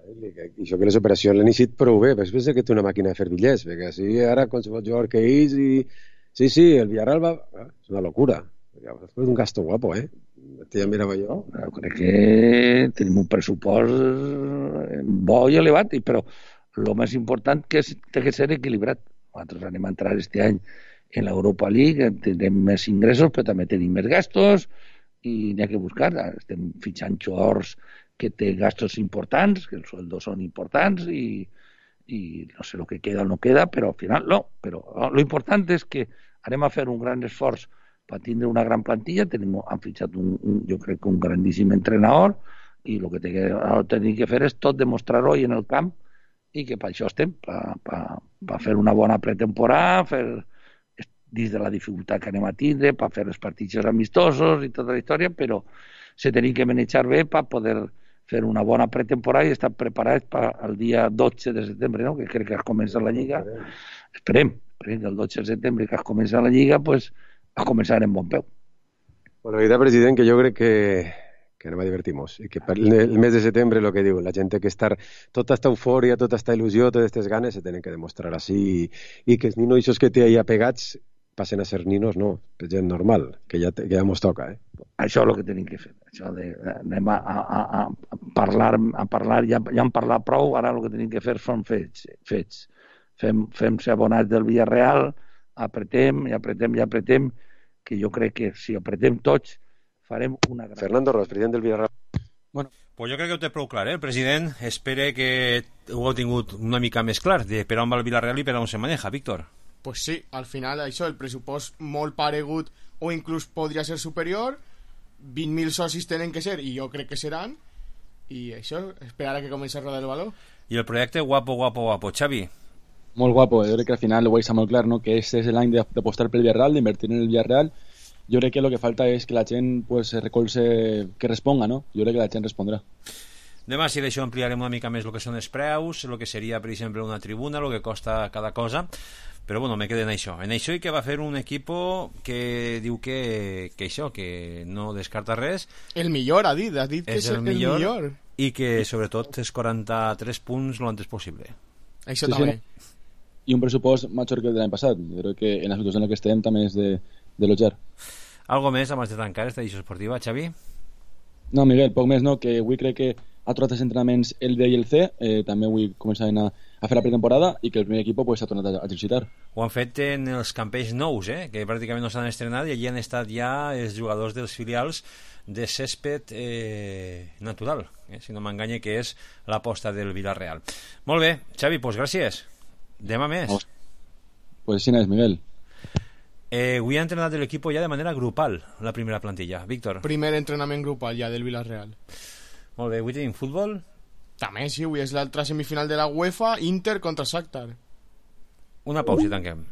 I això que les operacions l'han iniciat prou bé, perquè pensa que té una màquina de fer bitllets, perquè així ara qualsevol jugador que ells i... Sí, el Villarreal va... És una locura. És un gasto guapo, Ja mirava jo. Crec que tenim un pressupost bo i elevat, però el més important que té que ser equilibrat. Nosaltres anem a entrar este any en l'Europa League, tindrem més ingressos, però també tenim més gastos, i n'hi ha que buscar. Estem fitxant jugadors que té gastos importants, que els sueldos són importants i no sé el que queda o no queda, però al final no. Però lo important és que anem a fer un gran esforç per tindre una gran plantilla. Han fitxat jo crec que un grandíssim entrenador i el que tenim que fer és tot demostrar-ho en el camp i que per això estem, per fer una bona pretemporada, fer dins de la dificultat que anem a tindre, per fer els partits amistosos i tota la història, però se tenim que manejar bé per poder fer una bona pretemporada i estar preparats per el dia 12 de setembre, no? Que crec que es comença la Lliga. Esperem que el 12 de setembre que es comença la Lliga, pues, a començar en bon peu. Bueno, la veritat, president, que jo crec que anem a divertir-nos i que per el mes de setembre, el que diu, la gent té que estar, tota esta eufòria, tota esta il·lusió, totes aquestes ganes se tenen que demostrar així i que els ninos que té allà pegats passen a ser ninos, no, gent normal, que ja mos toca, Això és el que tenim que fer. Això anem a parlar, ja hem parlat prou, ara el que tenim que fer són fets. Fem ser abonats del Villarreal, apretem, que jo crec que si apretem tots farem una gran... Fernando Ros, president del Villarreal. Bueno, pues jo crec que ho té prou clar, el president espera que ho heu tingut una mica més clar, de per on va el Villarreal i per on se maneja, Víctor. Pues sí, al final això, el pressupost molt paregut o inclús podria ser superior, 20.000 socis tenen que ser i jo crec que seran, i això, esperar a que comenci a rodar el baló. I el projecte guapo, Xavi? Molt guapo, jo crec que al final ho veig molt clar, no? Que este és l'any d'apostar pel Villarreal, d'invertir en el Villarreal. Jo crec que lo que falta és que la gent pues, se recolze, que responga, no? Jo crec que la gent respondrà. Demà, si d'això ampliarem una mica més el que són els preus, el que seria, per exemple, una tribuna, el que costa cada cosa, però bueno, me quedo en això i que va fer un equipo que diu que això, que no descarta res. El millor, ha dit que és el millor. I que sobretot és 43 punts lo antes possible. Això sí, també. Sí, no? I un pressupost major que el de l'any passat. Jo crec que en la situació en la que estem també és d'elogiar. Algo més abans de tancar esta edició esportiva, Xavi? No, Miguel, poc més, no? Que avui crec que ha trobat els entrenaments el D i el C, també avui començaven a fer la pretemporada i que el primer equip pues, ha tornat a exercitar. Ho han fet en els campells nous, que pràcticament no s'han estrenat i allí han estat ja els jugadors dels filials de césped natural, si no m'enganye, que és l'aposta del Villarreal. Molt bé, Xavi, doncs gràcies. Demà més. Pues sí, és, Miguel. Avui ha entrenat l'equip ja de manera grupal, la primera plantilla. Víctor. Primer entrenament grupal ja del Villarreal. Molt bé, avui tenim futbol? També, sí, avui és l'altra semifinal de la UEFA, Inter contra Shakhtar. Una pausa y tanquem.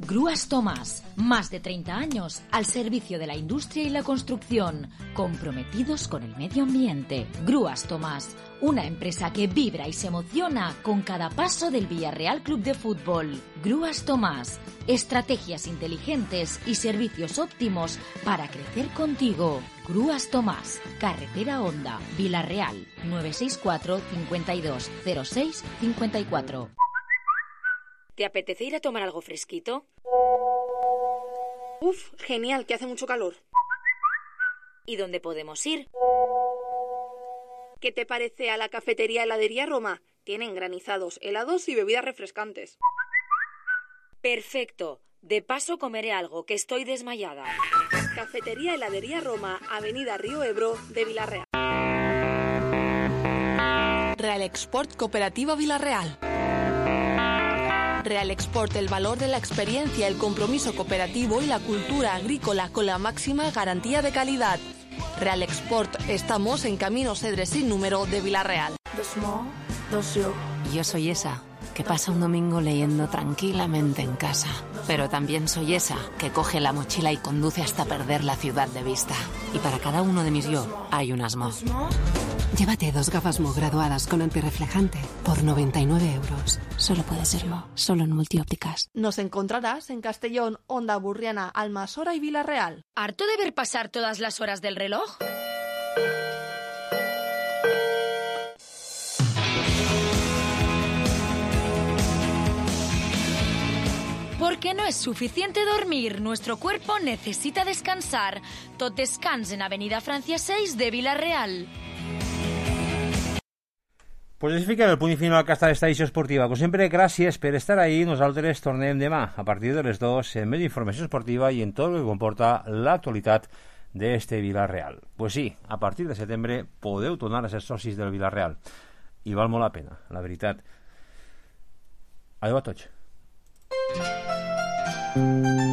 Grúas Tomás, más de 30 años al servicio de la industria y la construcción, comprometidos con el medio ambiente. Grúas Tomás, una empresa que vibra y se emociona con cada paso del Villarreal Club de Fútbol. Grúas Tomás, estrategias inteligentes y servicios óptimos para crecer contigo. Grúas Tomás, Carretera Honda, Villarreal, 964 52 06 54. ¿Te apetece ir a tomar algo fresquito? Uf, genial, que hace mucho calor. ¿Y dónde podemos ir? ¿Qué te parece a la cafetería Heladería Roma? Tienen granizados, helados y bebidas refrescantes. Perfecto. De paso comeré algo, que estoy desmayada. Cafetería Heladería Roma, Avenida Río Ebro de Villarreal. Real Export Cooperativa Villarreal. Real Export, el valor de la experiencia, el compromiso cooperativo y la cultura agrícola con la máxima garantía de calidad. Real Export, estamos en Camino Cedres sin número de Villarreal. Yo soy esa que pasa un domingo leyendo tranquilamente en casa. Pero también soy esa que coge la mochila y conduce hasta perder la ciudad de vista. Y para cada uno de mis yo hay un Asmo. Llévate 2 gafas Mo graduadas con antirreflejante por 99 euros. Solo puede ser Mo, solo en Multiópticas. Nos encontrarás en Castellón, Onda Burriana, Almasora y Villarreal. ¿Harto de ver pasar todas las horas del reloj? Porque no es suficiente dormir, nuestro cuerpo necesita descansar. Tot descans en Avenida Francia 6 de Villarreal. Pues així fiquem el punt i final a aquesta edició esportiva. Com sempre, gràcies per estar ahí. Nosaltres tornem demà a partir de les 2 en més informació esportiva i en tot el que comporta l'actualitat d'este Villarreal. Pues sí, a partir de setembre podeu tornar a ser socis del Villarreal i val molt la pena, la veritat. Adéu a tots.